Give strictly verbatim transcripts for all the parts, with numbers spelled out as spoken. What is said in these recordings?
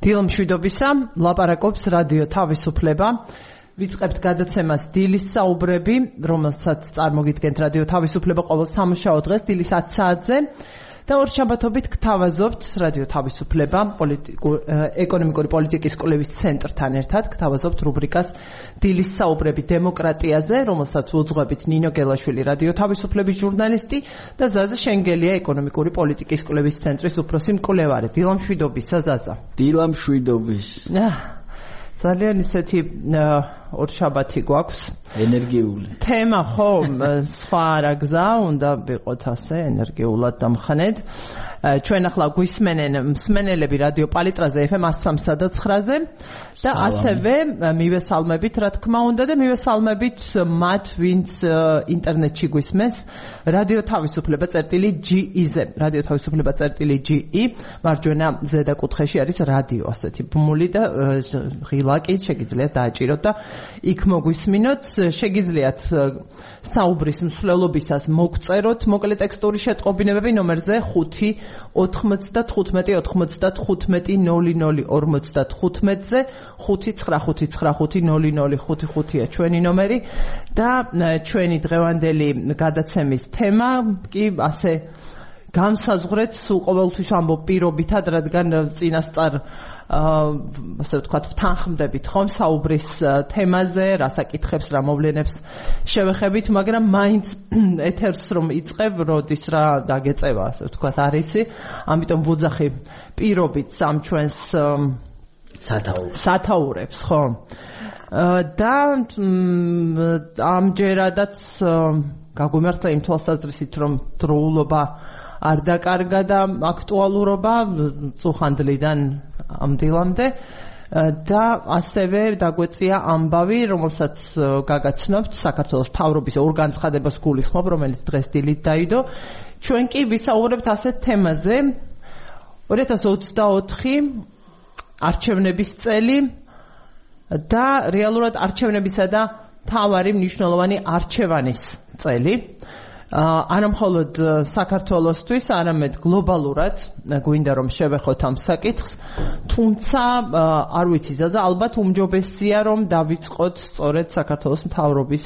დილამშვიდობისა, ლაპარაკობს რადიო თავისუფლება. ვიწყებთ გადაცემას დილის საუბრები, რომელსაც წარმოგიდგენთ რადიო თავისუფლება ყოველ სამუშაო დღეს დილის ათ საათზე. და ორ შაბათობით გთავაზობთ რადიო თავისუფლება ეკონომიკური პოლიტიკის კვლევის ცენტრთან ერთად გთავაზობთ რუბრიკას დილის საუბრები დემოკრატიაზე, რომელსაც უძღვებით ნინო გელაშვილი რადიო თავისუფლების ჟურნალისტი და ზაზა შენგელია ეკონომიკური პოლიტიკის კვლევის ცენტრის უფროსი მკვლევარი. დილამშვიდობისა ზაზა. დილამშვიდობის. ძალიან ისეთი ორ შაბათი გვაქვს. ენერგიული. თემა ხო სხვა რა გზა უნდა ვიყოთ ასე ენერგიულად დამხანედ. ჩვენ ახლა გვისმენენ მსმენელები რადიო პალიტრაზე ეფ ემ one oh nine-ზე და ასევე მივესალმებით რა თქმა უნდა და მივესალმებით მათ ვინც ინტერნეტში გვისმენს რადიო თავისუფლება წერტილი ჯი ი-ზე. რადიო თავისუფლება წერტილი ჯი ი მარჯვენა ზედა კუთხეში არის რადიო ასეთი ბმული და ღილაკი შეგიძლიათ დააჭიროთ და იქ მოგვისმინოთ. შეგიძლიათ საუბრის მსვლელობისას მოგწეროთ მოკლე ტექსტური შეტყობინებები ნომერზე ხუთი ოთხმოცდათხუთმეტი ოცდათხუთმეტი ნული ნული ორმოცდათხუთმეტზე ხუთი ცხრა ხუთი ცხრა ხუთი ნული ნული ხუთი ხუთია ჩვენი ნომერი და ჩვენი დღევანდელი გადაცემის თემა კი ასე განსაზღვრეთ სულ ყოველთვის ამბობ პირობითად, რადგან წინასწარ ასე ვთქვათ ვთანხმდებით ხომ საუბრის თემაზე, რა საკითხებს, რა მოვლენებს შევეხებით, მაგრამ მაინც ეთერს რომ იწყებ, როდის რა დაგეწევა, ასე ვთქვათ, არ იცი. ამიტომ ვუძახი პირობით სამ ჩვენს სათაურებს. სათაურებს, ხო? და ამჯერადაც გაგვიმართლა იმ თვალსაზრისით, რომ დროულობა არ დაკარგა და აქტუალურობა წუხანდლიდან ამ დილამდე და ასევე დაგვეწია ამბავი, რომელსაც გაგაცნობთ საქართველოს მთავრობის ორგანცხადებას გულისხმობ, რომელიც დღეს დილით დაიდო. ჩვენ კი ვისაუბრებთ ასეთ თემაზე ორი ათას ოცდაოთხი არჩევნების წელი და რეალურად არჩევნებისა და მთავარი მნიშვნელოვანი არჩევანის წელი. არა მხოლოდ საქართველოსთვის, არამედ გლობალურად გვინდა რომ შევეხოთ ამ საკითხს, თუმცა არ ვიცი ზაზა, ალბათ უმჯობესია რომ დავიწყოთ სწორედ საქართველოს მთავრობის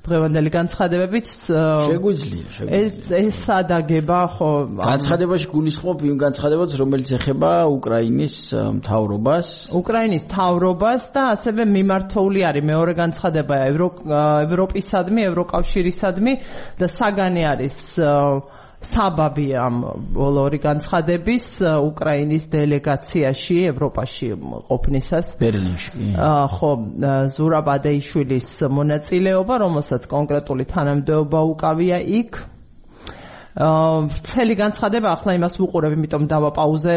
დღევანდელი განცხადებებით. შეგვიძლია, შეგვიძლია. ეს სადაგება ხო განცხადებაში გულისხმობ იმ განცხადებებს, რომელიც ეხება უკრაინის მთავრობას. უკრაინის მთავრობას და ასევე მიმართული არის მეორე განცხადება ევროპისადმი, ევროკავშირისადმი და საგანი არის საბაბი ამ ბოლორი განცხადების უკრაინის დელეგაციაში ევროპაში ყოფნისას ბერლინში. ხო, ზურაბ ადეიშვილის მონაწილეობა, რომელსაც კონკრეტული თანამდებობა უკავია იქ. მთელი განცხადება ახლა იმას ვუყურებ, იმიტომ დავაპაუზე,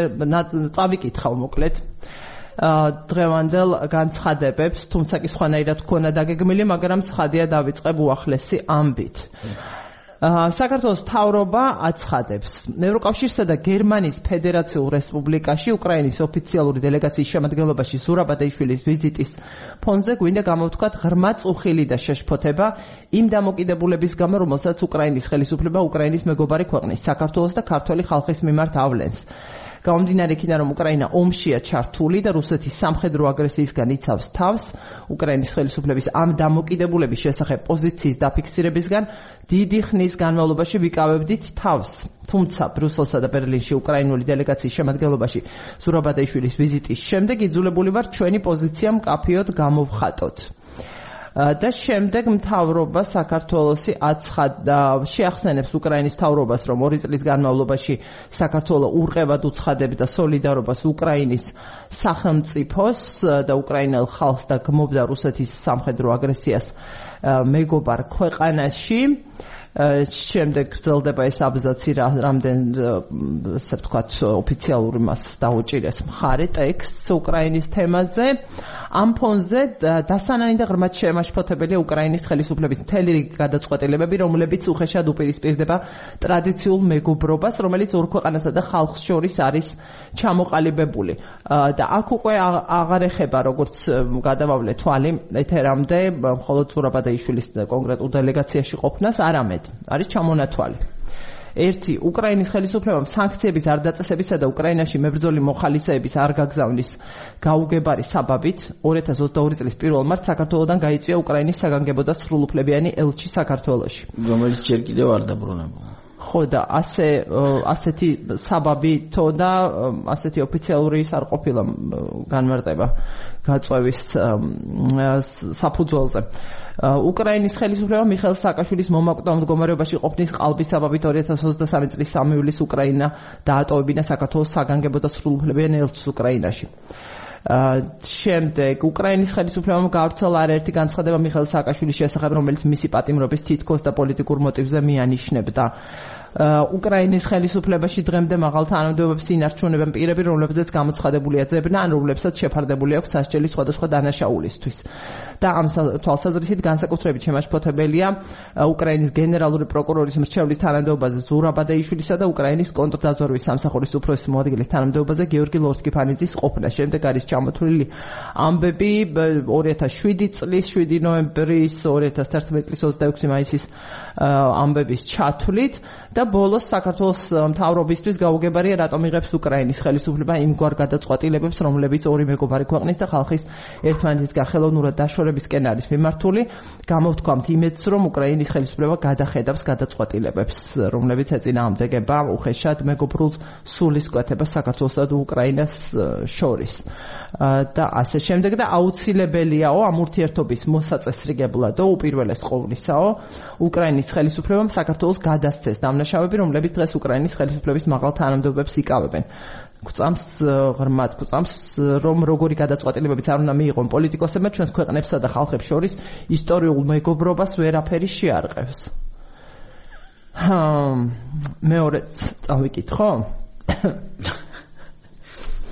წავიკითხავ მოკლედ დღევანდელ განცხადებებს, თუმცა კი სხვანაირად გქონა დაგეგმილი, მაგრამ ცხადია დავიწყებ უახლესი ამბით. საქართველოს მთავრობა აცხადებს ევროკავშირსა და გერმანიის ფედერაციულ რესპუბლიკაში უკრაინის ოფიციალური დელეგაციის შემადგენლობაში ზურაბ ადეიშვილის ვიზიტის ფონზე გვინდა გამოვთქვათ ღრმა წუხილი და შეშფოთება იმ დამოკიდებულების გამო, რომელსაც უკრაინის ხელისუფლება უკრაინის მეგობარი ქვეყნის საქართველოს და ქართველი ხალხის მიმართ ავლენს. გამომდინარე იქიდან, რომ უკრაინა ომშია ჩართული და რუსეთის სამხედრო აგრესიისგან იცავს თავს, უკრაინის ხელისუფლების ამ დამოკიდებულების შესახებ პოზიციის დაფიქსირებისგან დიდი ხნის განმავლობაში ვიკავებდით თავს. თუმცა ბრიუსელსა და ბერლინში უკრაინული დელეგაციის შემადგენლობაში ზურაბ ადეიშვილის ვიზიტის შემდეგ იძულებული ვარ ჩვენი პოზიცია მკაფიოდ გამოვხატოთ. და შემდეგ მთავრობა საქართველოსი აცხადდა შეახსენებს უკრაინის მთავრობას, რომ ორი წლის განმავლობაში საქართველო ურყევად უცხადებდა სოლიდარობას უკრაინის სახელმწიფოს და უკრაინელ ხალხს და გმობდა რუსეთის სამხედრო აგრესიას მეგობარ ქვეყანაში. შემდეგ გრძელდება ეს აბზაცი, რამდენ ასე ვთქვათ ოფიციალური მას დაუჭირეს მხარე ტექსტს უკრაინის თემაზე. ამ ფონზე დასანანი და ღრმად შემაშფოთებელია უკრაინის ხელისუფლების მთელი რიგი გადაწყვეტილებები, რომლებიც უხეშად უპირისპირდება ტრადიციულ მეგობრობას, რომელიც ორ ქვეყანასა და ხალხს შორის არის ჩამოყალიბებული. და აქ უკვე აღარ ეხება, როგორც გადავავლე თვალი ეთერამდე, მხოლოდ ზურაბ ადეიშვილის კონკრეტულ დელეგაციაში ყოფნას, არამედ არის ჩამონათვალი. ერთი უკრაინის ხელისუფლებამ სანქციების არ დაწესებისა და უკრაინაში მებრძოლი მოხალისეების არ გაგზავნის გაუგებარი საბაბით ორი ათას ოცდაორი წლის პირველ მარტს საქართველოდან გაიწვია უკრაინის საგანგებო და სრულუფლებიანი ელჩი საქართველოში, რომელიც ჯერ კიდევ არ დაბრუნებულა. ხო და ასე ასეთი საბაბი თო და ასეთი ოფიციალური ის არ ყოფილა განმარტება გაწვევის საფუძველზე. უკრაინის ხელისუფლება მიხეილ სააკაშვილის მომაკვდავ მდგომარეობაში ყოფნის ყალბის საბაბით ორი ათას ოცდასამი წლის სამი ივლისს უკრაინა დაატოვებინა საქართველოს საგანგებო და სრულუფლებიანი ელჩს უკრაინაში. შემდეგ უკრაინის ხელისუფლებამ გავრცელა არაერთი განცხადება მიხეილ სააკაშვილის შესახებ, რომელიც მისი პატიმრობის თითქოს და პოლიტიკურ მოტივზე მიანიშნებდა. უკრაინის ხელისუფლებაში დღემდე მაღალ თანამდებობებს ინარჩუნებენ პირები, რომლებზეც გამოცხადებულია ძებნა, ან რომლებსაც შეფარდებული აქვს სასჯელი სხვადასხვა დანაშაულისთვის. და ამ თვალსაზრისით განსაკუთრებით შემაშფოთებელია უკრაინის გენერალური პროკურორის მრჩევლის თანამდებობაზე ზურაბ ადეიშვილისა და უკრაინის კონტრდაზვერვის სამსახურის უფროსის მოადგილის თანამდებობაზე გიორგი ლორსკი-ფანიძის ყოფნა. შემდეგ არის ჩამოთვლილი ამბები ორი ათას შვიდი წლის შვიდი ნოემბრის, ორი ათას თერთმეტი წლის ოცდაექვსი მაისის ამბების ჩათვლით და ბოლოს საქართველოს მთავრობისთვის გაუგებარია რატომ იღებს უკრაინის ხელისუფლება იმგვარ გადაწყვეტილებებს, რომლებიც ორი მეგობარი ქვეყნის და ხალხის ერთმანეთისგან ხელოვნურად დაშორებისკენ არის მიმართული. გამოვთქვამთ იმედს, რომ უკრაინის ხელისუფლება გადახედავს გადაწყვეტილებებს, რომლებიც ეწინააღმდეგება უხეშად მეგობრულ სულისკვეთებას საქართველოსა და უკრაინას შორის. და ასე შემდეგ და აუცილებელიაო ამ ურთიერთობის მოსაწესრიგებლად უპირველეს ყოვლისაო უკრაინის ხელისუფლებამ საქართველოს გადასცეს დამნაშავეები, რომლებიც დღეს უკრაინის ხელისუფლების მაღალ თანამდებობებს იკავებენ. გვწამს ღრმად გვწამს რომ როგორი გადაწყვეტილებებიც არ უნდა მიიღონ პოლიტიკოსებმა ჩვენს ქვეყნებსა და ხალხებს შორის ისტორიულ მეგობრობას ვერაფერი შეარყევს. მეორეც წავიკითხო?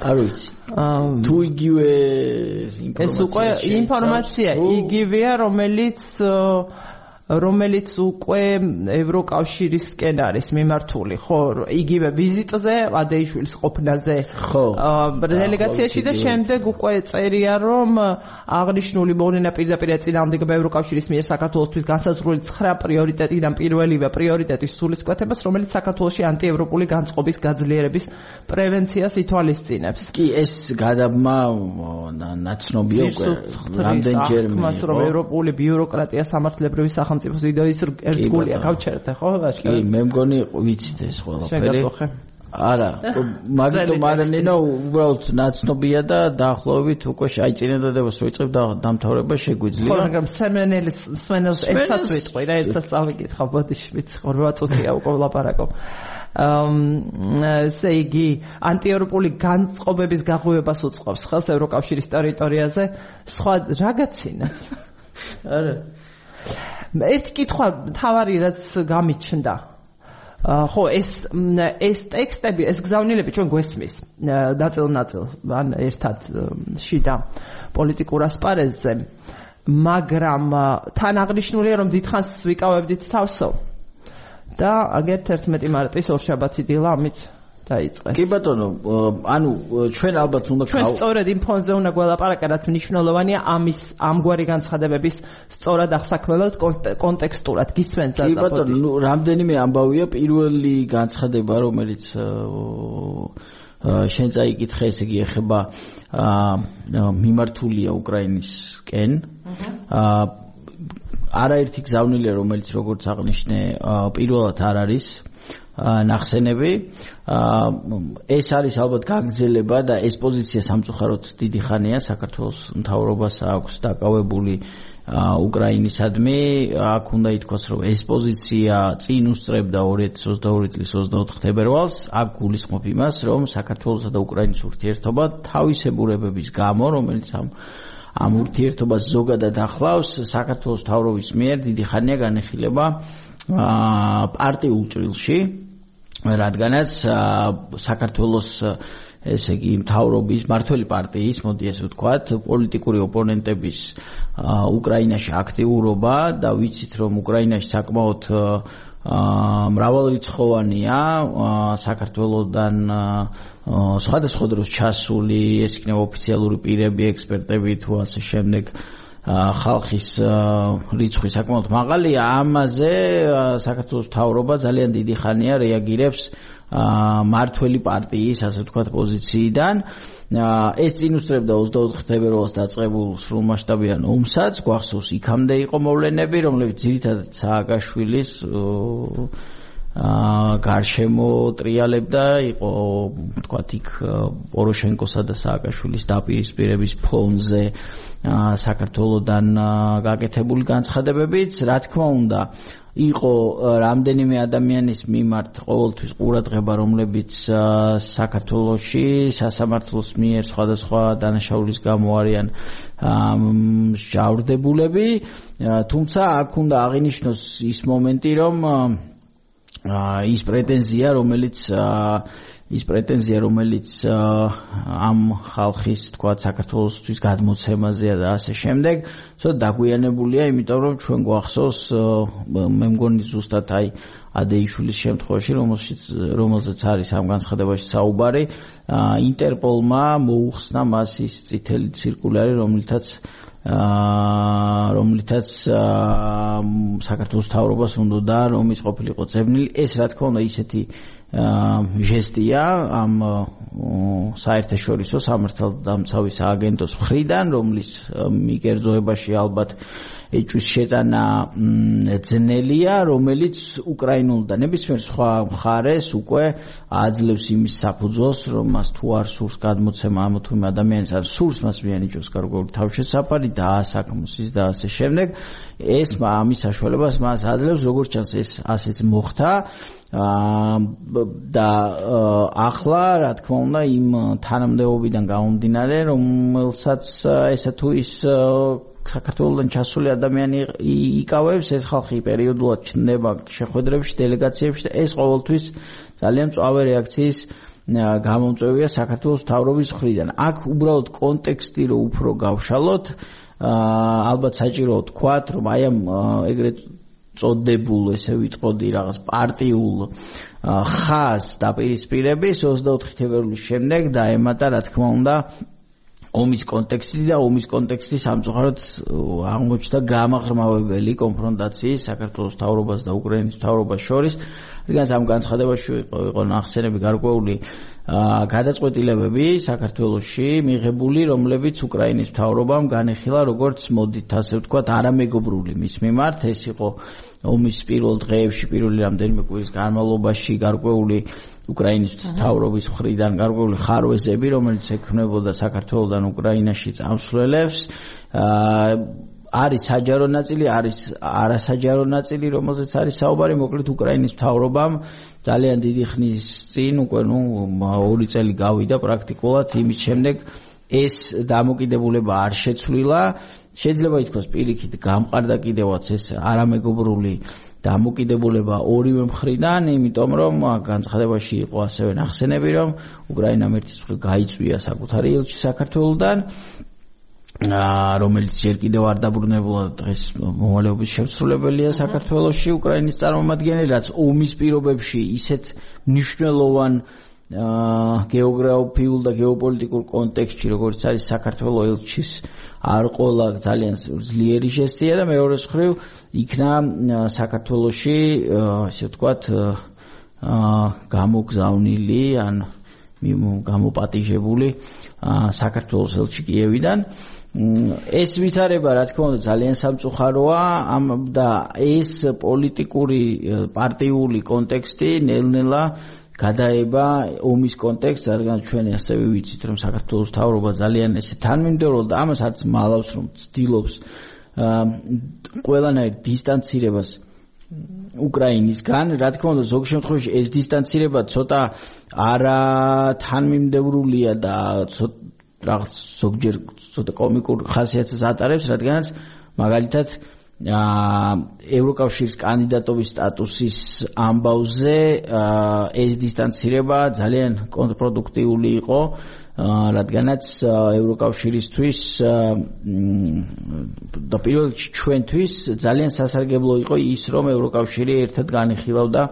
არ ვიცი. თუ იგივე ინფორმაცია ეს უკვე ინფორმაცია იგივეა, რომელიც რომელიც უკვე ევროკავშირისკენ არის მიმართული, ხო, იგივე ვიზიტზე, ადეიშვილის ყოფნაზე დელეგაციაში და შემდეგ უკვე წერია, რომ აღნიშნული მოვლენა პირდაპირ ეწინააღმდეგება ევროკავშირის მიერ საქართველოსთვის განსაზღვრული ცხრა პრიორიტეტიდან პირველივე პრიორიტეტის სულისკვეთებას, რომელიც საქართველოში ანტიევროპული განწყობის გაძლიერების პრევენციას ითვალისწინებს. კი, ეს გადაბმა ნაცნობია უკვე რამდენჯერმე. მას რომ ევროპული ბიუროკრატია სამართლებრივი სახელმწიფოს იდეის ერთგულია, გავჩერდე, ხო? კი, მე მგონი ვიცით ეს ყველაფერი. არა, მაგიტომ არ ნინო, უბრალოდ ნაცნობია და დაახლოებით უკვე აი წინადადებას რო იწყებ და დამთავრება შეგვიძლია. ხო, მაგრამ სემენელის სვენელს ერთსაც ვიტყვი რა, ერთსაც წავიკითხავ, ბოდიში ვიცი, რვა წუთია უკვე ვლაპარაკობ. ესე იგი, ანტიევროპული განწყობების გაღვივებას უწყობს ხელს ევროკავშირის ტერიტორიაზე, სხვა რაღაცინა. არა. ერთი კითხვა თავარი რაც გამიჩნდა. ხო, ეს ეს ტექსტები, ეს გზავნილები ჩვენ გვესმის ნაწილ-ნაწილ, ან ერთად შიდა პოლიტიკურ ასპარეზზე, მაგრამ თან აღნიშნულია რომ დიდხანს ვიკავებდით თავსო და აგერ თერთმეტი მარტის ორშაბათი დილა ამით დაიწყეს. კი ბატონო, ანუ ჩვენ ალბათ უნდა ჩვენ სწორედ იმ ფონზე უნდა გველაპარაკა, რაც მნიშვნელოვანია ამის ამგვარი განცხადებების სწორად აღსაქმებლად კონტექსტურად გისმენთ და კი ბატონო, ნუ რამდენიმე ამბავია. პირველი განცხადება, რომელიც შენ წაიკითხე, ესე იგი ეხება მიმართულია უკრაინისკენ. არაერთი გზავნილია, რომელიც როგორც აღნიშნე, პირველად არ არის ნახსენები. ეს არის ალბათ გაგრძელება და ეს პოზიცია სამწუხაროდ დიდი ხანია საქართველოს მთავრობას აქვს დაკავებული უკრაინისადმი. აქ უნდა ითქვას, რომ ეს პოზიცია წინ უსწრებდა ორი ათას ოცდაორი წლის ოცდაოთხ თებერვალს. აქ გულისხმობ იმას, რომ საქართველოსა და უკრაინის ურთიერთობა თავისებურებების გამო, რომელიც ამ ამ ურთიერთობას ზოგადად ახლავს, საქართველოს მთავრობის მიერ დიდი ხანია განეხილება პარტიულ ჭრილში, რადგანაც საქართველოს ესე იგი მთავრობის მართველი პარტიის, მოდი ესე ვთქვათ, პოლიტიკური ოპონენტების უკრაინაში აქტიურობა და ვიცით რომ უკრაინაში საკმაოდ მრავალრიცხოვანია საქართველოსდან სხვადასხვა დროს ჩასული, ეს იქნება ოფიციალური პირები, ექსპერტები თუ ასე შემდეგ ხალხის რიცხვი საკმაოდ მაღალია. ამაზე საქართველოს მთავრობა ძალიან დიდი ხანია რეაგირებს მართველი პარტიის, ასე ვთქვათ, პოზიციიდან. ეს წინ უსწრებდა ოცდაოთხი თებერვალს დაწყებულ სრულმასშტაბიან ომსაც, გვახსოვს იქამდე იყო მოვლენები, რომლებიც ძირითადად სააკაშვილის გარშემო ტრიალებდა, იყო ვთქვათ იქ პოროშენკოსა და სააკაშვილის დაპირისპირების ფონზე საქართველოსთან გაკეთებული განცხადებებიც, რა თქმა უნდა, იყო რამდენიმე ადამიანის მიმართ ყოველთვის ყურადღება, რომლებიც საქართველოში სასამართლოს მიერ სხვადასხვა დანაშაულის გამო არიან ჟავრდებულები, თუმცა აქ უნდა აღინიშნოს ის მომენტი, რომ ის პრეტენზია, რომელიც ის პრეტენზია, რომელიც ამ ხალხის, თქვა, საქართველოსთვის გადმოცემაზეა და ასე შემდეგ, ცოტა დაგვიანებულია, იმიტომ რომ ჩვენ გვახსოვს, მე მგონი ზუსტად აი ადეიშვილის შემთხვევაში, რომელშიც რომელზეც არის ამ განცხადებაში საუბარი, ინტერპოლმა მოუხსნა მას ის წითელი ცირკულარი, რომლითაც რომლითაც საქართველოს მთავრობას უნდა რომ ის ყოფილიყო წებნილი. ეს რა თქმა უნდა ისეთი ჟესტია ამ საერთაშორისო სამართალდამცავი სააგენტოს მხრიდან, რომლის მიკერძოებაში ალბათ ეჭვის შეტანა ძნელია, რომელიც უკრაინულ და ნებისმიერ სხვა მხარეს უკვე აძლევს იმის საფუძველს, რომ მას თუ არ სურს გადმოცემა ამ თუ იმ ადამიანის, არ სურს მას მიანიჭოს გარკვეული თავშესაფარი და ასაქმოს ის და ასე შემდეგ, ეს ამის საშუალებას მას აძლევს, როგორც ჩანს ეს ასეც მოხდა. და ახლა რა თქმა უნდა იმ თანამდებობიდან გამომდინარე, რომელსაც ესა თუ ის საქართველოსთან ჩასული ადამიანი იკავებს, ეს ხალხი პერიოდულად ჩნდება შეხვედრებში, დელეგაციებში და ეს ყოველთვის ძალიან მწვავე რეაქციის გამომწვევია საქართველოს მთავრობის მხრიდან. აქ უბრალოდ კონტექსტი რო უფრო გავშალოთ, ალბათ საჭირო ვთქვათ, რომ აი ამ ეგრეთ წოდებულ, ესე ვიტყოდი, რაღაც პარტიულ ხაზს დაპირისპირების ოცდაოთხი თებერვლის შემდეგ დაემატა, რა თქმა უნდა, ომის კონტექსტი და ომის კონტექსტი სამწუხაროდ აღმოჩნდა გამაღრმავებელი კონფრონტაციის საქართველოს მთავრობას და უკრაინის მთავრობას შორის. რადგან ამ განცხადებაში იყო ნახსენები გარკვეული გადაწყვეტილებები საქართველოში მიღებული, რომლებიც უკრაინის მთავრობამ განეხილა, როგორც მოდით ასე ვთქვათ, არამეგობრული მის მიმართ. ეს იყო ომის პირველ დღეებში, პირველი რამდენიმე კვირის განმავლობაში გარკვეული უკრაინის მთავრობის მხრიდან გარკვეული ხარვეზები, რომელიც ექმნებოდა საქართველოსთან უკრაინაში წამსვლელებს. არის საჯარო ნაწილი, არის არასაჯარო ნაწილი, რომელზეც არის საუბარი. მოკლედ უკრაინის მთავრობამ ძალიან დიდი ხნის წინ, უკვე ნუ ორი წელი გავიდა პრაქტიკულად, იმის შემდეგ ეს დამოკიდებულება არ შეცვლილა. შეიძლება ითქვას პირიქით გამყარდა კიდევაც ეს არამეგობრული დამოკიდებულება ორივე მხრიდან, იმიტომ რომ განცხადებაში იყო ასევე ნახსენები, რომ უკრაინამ ერთის მხრივ გაიწვია საკუთარი ელჩი საქართველოსთან, რომელიც ჯერ კიდევ არ დაბრუნებულა დღეს მოვალეობის შემსრულებელია საქართველოში უკრაინის წარმომადგენელი, რაც ომის პირობებში ისეთ მნიშვნელოვან გეოგრაფიულ და გეოპოლიტიკურ კონტექსტში, როგორც არის საქართველოს ელჩის არ ყოლა ძალიან ძლიერი ჟესტია და მეორეს მხრივ იქნა საქართველოში, ასე ვთქვათ, გამოგზავნილი ან გამოპატიჟებული საქართველოს ელჩი კიევიდან. ეს ვითარება, რა თქმა უნდა, ძალიან სამწუხაროა და ეს პოლიტიკური პარტიული კონტექსტი ნელ-ნელა გადაება ომის კონტექსტს, რადგან ჩვენ ასევე ვიცით, რომ საქართველოს მთავრობა ძალიან ესე თანმიმდევრულად და ამას არც მალავს, რომ ცდილობს ყველანაირ დისტანცირებას უკრაინისგან. რა თქმა უნდა, ზოგ შემთხვევაში ეს დისტანცირება ცოტა არა თანმიმდევრულია და რაღაც ზოგჯერ ცოტა კომიკურ ხასიათს ატარებს, რადგანაც მაგალითად ევროკავშირის კანდიდატობის სტატუსის ამბავზე ეს დისტანცირება ძალიან კონტრპროდუქტიული იყო, რადგანაც ევროკავშირისთვის და პირველ რიგში ჩვენთვის ძალიან სასარგებლო იყო ის, რომ ევროკავშირი ერთად განიხილავდა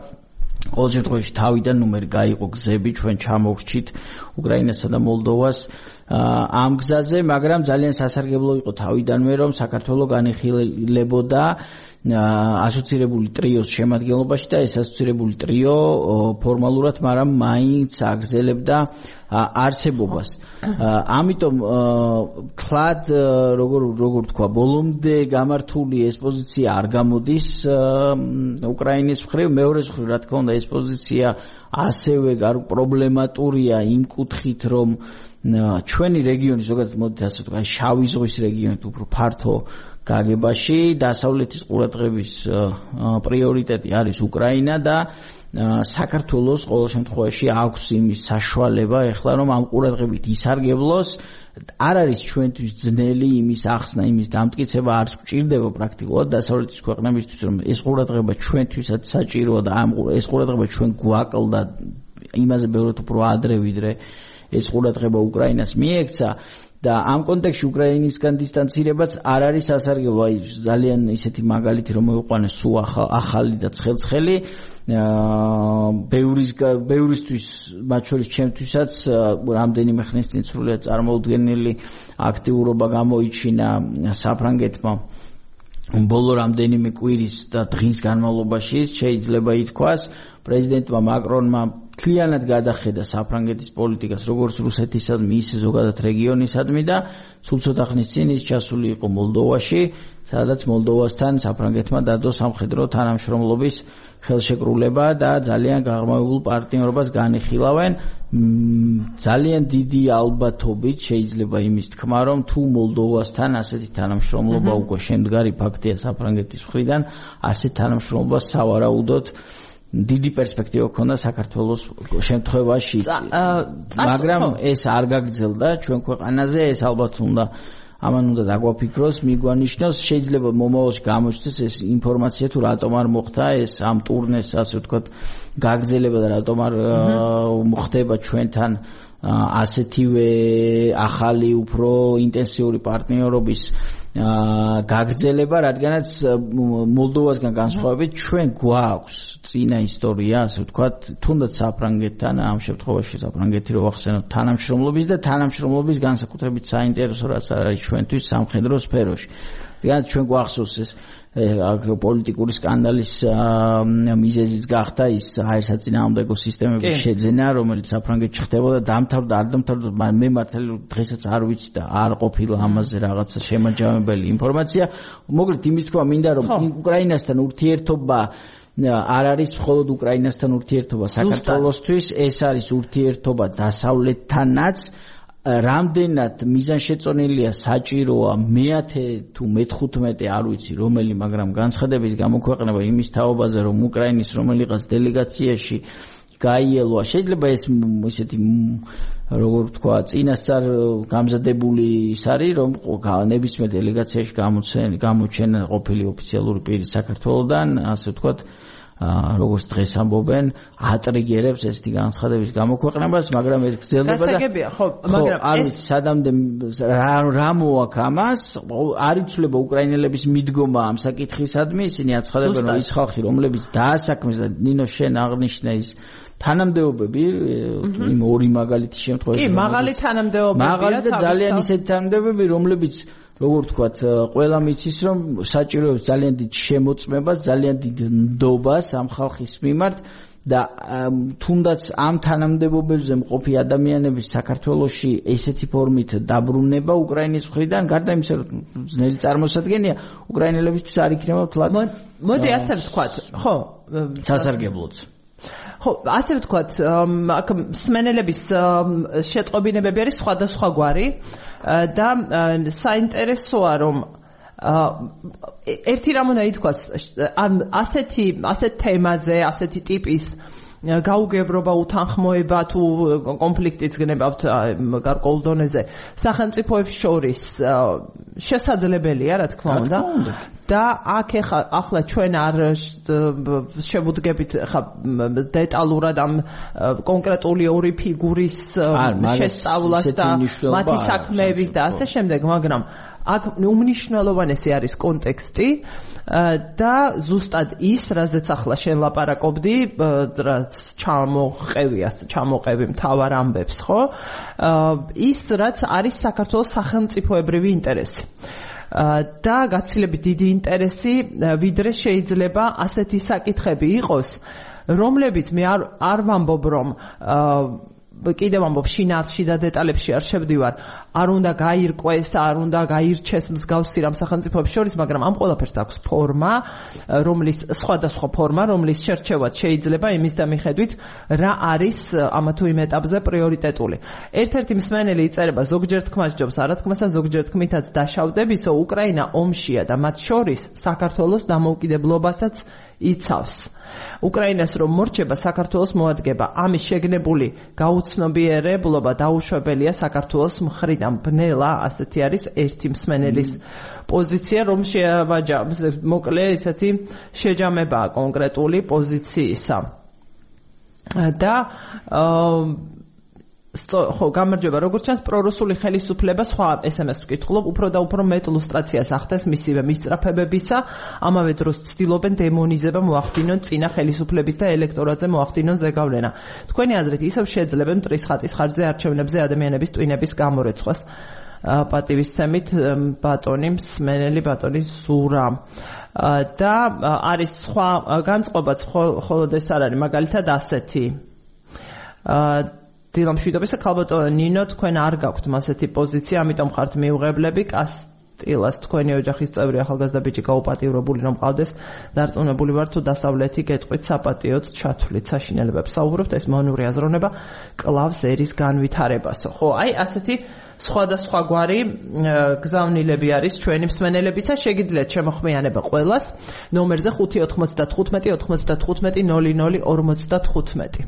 ყოველ შემთხვევაში თავიდან ნუ მე გაიყო გზები, ჩვენ ჩამოვრჩით უკრაინასა და მოლდოვას ამ გზაზე, მაგრამ ძალიან სასარგებლო იყო თავიდანვე, რომ საქართველო განიხილებოდა ასოცირებული ტრიოს შემადგენლობაში და ეს ასოცირებული ტრიო ფორმალურად, მაგრამ მაინც აგრძელებდა არსებობას. ამიტომ კლად როგორ როგორ თქვა, ბოლომდე გამართული ეს პოზიცია არ გამოდის უკრაინის მხრივ, მეორე მხრივ, რა თქმა უნდა, ეს პოზიცია ასევე პრობლემატურია იმ კუთხით, რომ ჩვენი რეგიონი ზოგადად მოდით ასე ვთქვა, შავი ზღვის რეგიონი უფრო ფართო გაგებაში დასავლეთის ყურადღების პრიორიტეტი არის უკრაინა და საქართველოს ყოველ შემთხვევაში აქვს იმის საშუალება ეხლა რომ ამ ყურადღებით ისარგებლოს. არ არის ჩვენთვის ძნელი იმის ახსნა, იმის დამტკიცება, არც გვჭირდება პრაქტიკულად დასავლეთის ქვეყნებისთვის, რომ ეს ყურადღება ჩვენთვისაც საჭიროა და ამ ეს ყურადღება ჩვენ გვაკლდა იმაზე ბევრად უფრო ადრე ვიდრე ეს ყურადღება უკრაინას მიექცა. და ამ კონტექსტში უკრაინისგან დისტანცირებაც არ არის სასარგებლო. აი ძალიან ისეთი მაგალითი რომ მოიყვანეს სულ ახალი და ცხელცხელი ბევრის ბევრისთვის, მათ შორის ჩემთვისაც რამდენიმე ხნის წინ სრულიად წარმოუდგენელი აქტიურობა გამოიჩინა საფრანგეთმა ბოლო რამდენიმე კვირის და დღის განმავლობაში. შეიძლება ითქვას, პრეზიდენტმა მაკრონმა მთლიანად გადახედა საფრანგეთის პოლიტიკას, როგორც რუსეთისადმი, ისე ზოგადად რეგიონისადმი და სულ ცოტა ხნის წინ ის ჩასული იყო მოლდოვაში, სადაც მოლდოვასთან საფრანგეთმა დადო სამხედრო თანამშრომლობის ხელშეკრულება და ძალიან გაღრმავებულ პარტნიორობას განიხილავენ. ძალიან დიდი ალბათობით შეიძლება იმის თქმა, რომ თუ მოლდოვასთან ასეთი თანამშრომლობა უკვე შემდგარი ფაქტია საფრანგეთის მხრიდან, ასეთ თანამშრომლობას სავარაუდოდ დიდი პერსპექტივა ქონდა საქართველოს შემთხვევაში, მაგრამ ეს არ გაგრძელდა ჩვენ ქვეყანაზე. ეს ალბათ უნდა ამან უნდა დაგვაფიქროს, მიგვანიშნოს, შეიძლება მომავალში გამოჩნდეს ეს ინფორმაცია თუ რატომ არ მოხდა ეს ამ ტურნეს, ასე ვთქვათ, გაგრძელება და რატომ არ მოხდება ჩვენთან ასეთივე ახალი, უფრო ინტენსიური პარტნიორობის გაგრძელება, რადგანაც მოლდოვასგან განსხვავებით ჩვენ გვაქვს წინა ისტორია, ასე ვთქვათ, თუნდაც საფრანგეთთან, ამ შემთხვევაში საფრანგეთი რო ვახსენოთ, თანამშრომლობის და თანამშრომლობის განსაკუთრებით საინტერესო რაც არის ჩვენთვის სამხედრო სფეროში. რადგანაც ჩვენ გვახსოვს ეს აგროპოლიტიკური სკანდალის მიზეზიც გახდა ის აირსაწინააღმდეგო სისტემების შეძენა, რომელიც საფრანგეთში ხდებოდა, დამთავრდა, არ დამთავრდა, მე მართალი დღესაც არ ვიცი და არ ყოფილა ამაზე რაღაცა შემაჯამებელი ინფორმაცია. მოკლედ იმის თქვა მინდა, რომ უკრაინასთან ურთიერთობა არ არის მხოლოდ უკრაინასთან ურთიერთობა საქართველოსთვის, ეს არის ურთიერთობა დასავლეთთანაც. რამდენად მიზანშეწონილია, საჭიროა მეათე თუ მეთხვუთმეტე არ ვიცი რომელი, მაგრამ განცხადების გამოქვეყნება იმის თაობაზე, რომ უკრაინის რომელიღაც დელეგაციაში გაიელვა, შეიძლება ეს ისეთი როგორ ვთქვა, წინასწარ გამზადებული ის არის, რომ ნებისმიერ დელეგაციაში გამოჩენა ყოფილი ოფიციალური პირი საქართველოდან, ასე ვთქვათ, როგორც დღეს ამბობენ, ატრიგერებს ესეთი განცხადების გამოქვეყნებას, მაგრამ ეს გრძელდება და გასაგებია, ხო, მაგრამ ეს სადამდე რა მოაქვს ამას, არ იცვლება უკრაინელების მიდგომა ამ საკითხისადმი, ისინი აცხადებენ, რომ ის ხალხი, რომლებიც დაასაქმეს და ნინო შენ აღნიშნე ის თანამდებობები, იმ ორი მაგალითის შემთხვევაში. კი, მაღალი თანამდებობებია. მაღალი და ძალიან ისეთი თანამდებობები, რომლებიც როგორ ვთქვათ, ყველამ იცის, რომ საჭიროებს ძალიან დიდ შემოწმებას, ძალიან დიდ ნდობას ამ ხალხის მიმართ და თუნდაც ამ თანამდებობებზე მყოფი ადამიანების საქართველოში ესეთი ფორმით დაბრუნება უკრაინის მხრიდან, გარდა იმისა, რომ ძნელი წარმოსადგენია, უკრაინელებისთვის არ იქნება თლად. მოდი ასე ვთქვათ, ხო, სასარგებლოც. ხო, ასე ვთქვათ, აქ მსმენელების შეტყობინებები არის სხვადასხვაგვარი და საინტერესოა, რომ ერთი რამ უნდა ითქვას, ან ასეთი ასეთ თემაზე, ასეთი ტიპის გაუგებრობა, უთანხმოება თუ კონფლიქტიც გნებავთ გარკვეულ დონეზე სახელმწიფოებს შორის შესაძლებელია, რა თქმა უნდა. და აქ ახლა ჩვენ არ შევუდგებით ხა დეტალურად ამ კონკრეტული ორი ფიგურის შესწავლას და მათი საქმეების და ასე შემდეგ, მაგრამ აქ უმნიშვნელოვანესი არის კონტექსტი და ზუსტად ის, რაზეც ახლა შენ ლაპარაკობდი, რაც ჩამოყევია, ჩამოყევი მთავარ ამბებს, ხო? ის, რაც არის საქართველოს სახელმწიფოებრივი ინტერესი. და გაცილებით დიდი ინტერესი, ვიდრე შეიძლება ასეთი საკითხები იყოს, რომლებიც მე არ არ ვამბობ, რომ კიდევ ამბობ შინაარსში და დეტალებში არ შევდივარ, არ უნდა გაირკვეს, არ უნდა გაირჩეს მსგავსი რამ სახელმწიფოებს შორის, მაგრამ ამ ყველაფერს აქვს ფორმა, რომლის სხვადასხვა ფორმა, რომლის შერჩევაც შეიძლება იმის და მიხედვით, რა არის ამა თუ იმ ეტაპზე პრიორიტეტული. ერთ-ერთი მსმენელი იწერება ზოგჯერ თქმას ჯობს, არა თქმასა ზოგჯერ თქმითაც დაშავდებისო, უკრაინა ომშია და მათ შორის საქართველოს დამოუკიდებლობასაც იცავს. უკრაინას რომ მორჩება, საქართველოს მოადგება. ამის შეგნებული გაუცნობიერებლობა დაუშვებელია საქართველოს მხრიდან. ბნელა, ასეთი არის ერთი მსმენელის პოზიცია, რომ შეავაჯა, მოკლე ესეთი შეჯამებაა კონკრეტული პოზიციისა. და ხო, გამარჯობა, როგორც ჩანს, პრორუსული ხელისუფლება სხვა ეს ემ ეს ვკითხულობ, უფრო და უფრო მეტ ლუსტრაციას ახდენს მისივე მისწრაფებებისა, ამავე დროს ცდილობენ დემონიზება მოახდინონ წინა ხელისუფლების და ელექტორატზე მოახდინონ ზეგავლენა. თქვენი აზრით, ისევ შეძლებენ მტრის ხატის ხარჯზე არჩევნებზე ადამიანების ტვინების გამორეცხვას. პატივისცემით ბატონი მსმენელი ბატონი ზურა. და არის სხვა განწყობაც, მხოლოდ ეს არ არის, მაგალითად ასეთი. დილამშვიდობის ხალბატონო ნინო, თქვენ არ გაქვთ მასეთი პოზიცია, ამიტომ ხართ მიუღებლები. კასტილას თქვენი ოჯახის წევრი ახალგაზრდა ბიჭი გაუპატიურებული რომ ყავდეს, დარწმუნებული ვარ თუ დასავლეთი გეტყვით საპატიოდ ჩათვლით საშინელებებს. საუბრობთ, ეს მონური აზროვნება კლავს ერის განვითარებასო. ხო, აი ასეთი სხვადასხვაგვარი გზავნილები არის ჩვენი მსმენელებისა. შეგიძლიათ შემოხმიანება ყველას ნომერზე ხუთი ოთხმოცდათხუთმეტი ოთხმოცდათხუთმეტი ნული ნული ორმოცდათხუთმეტი.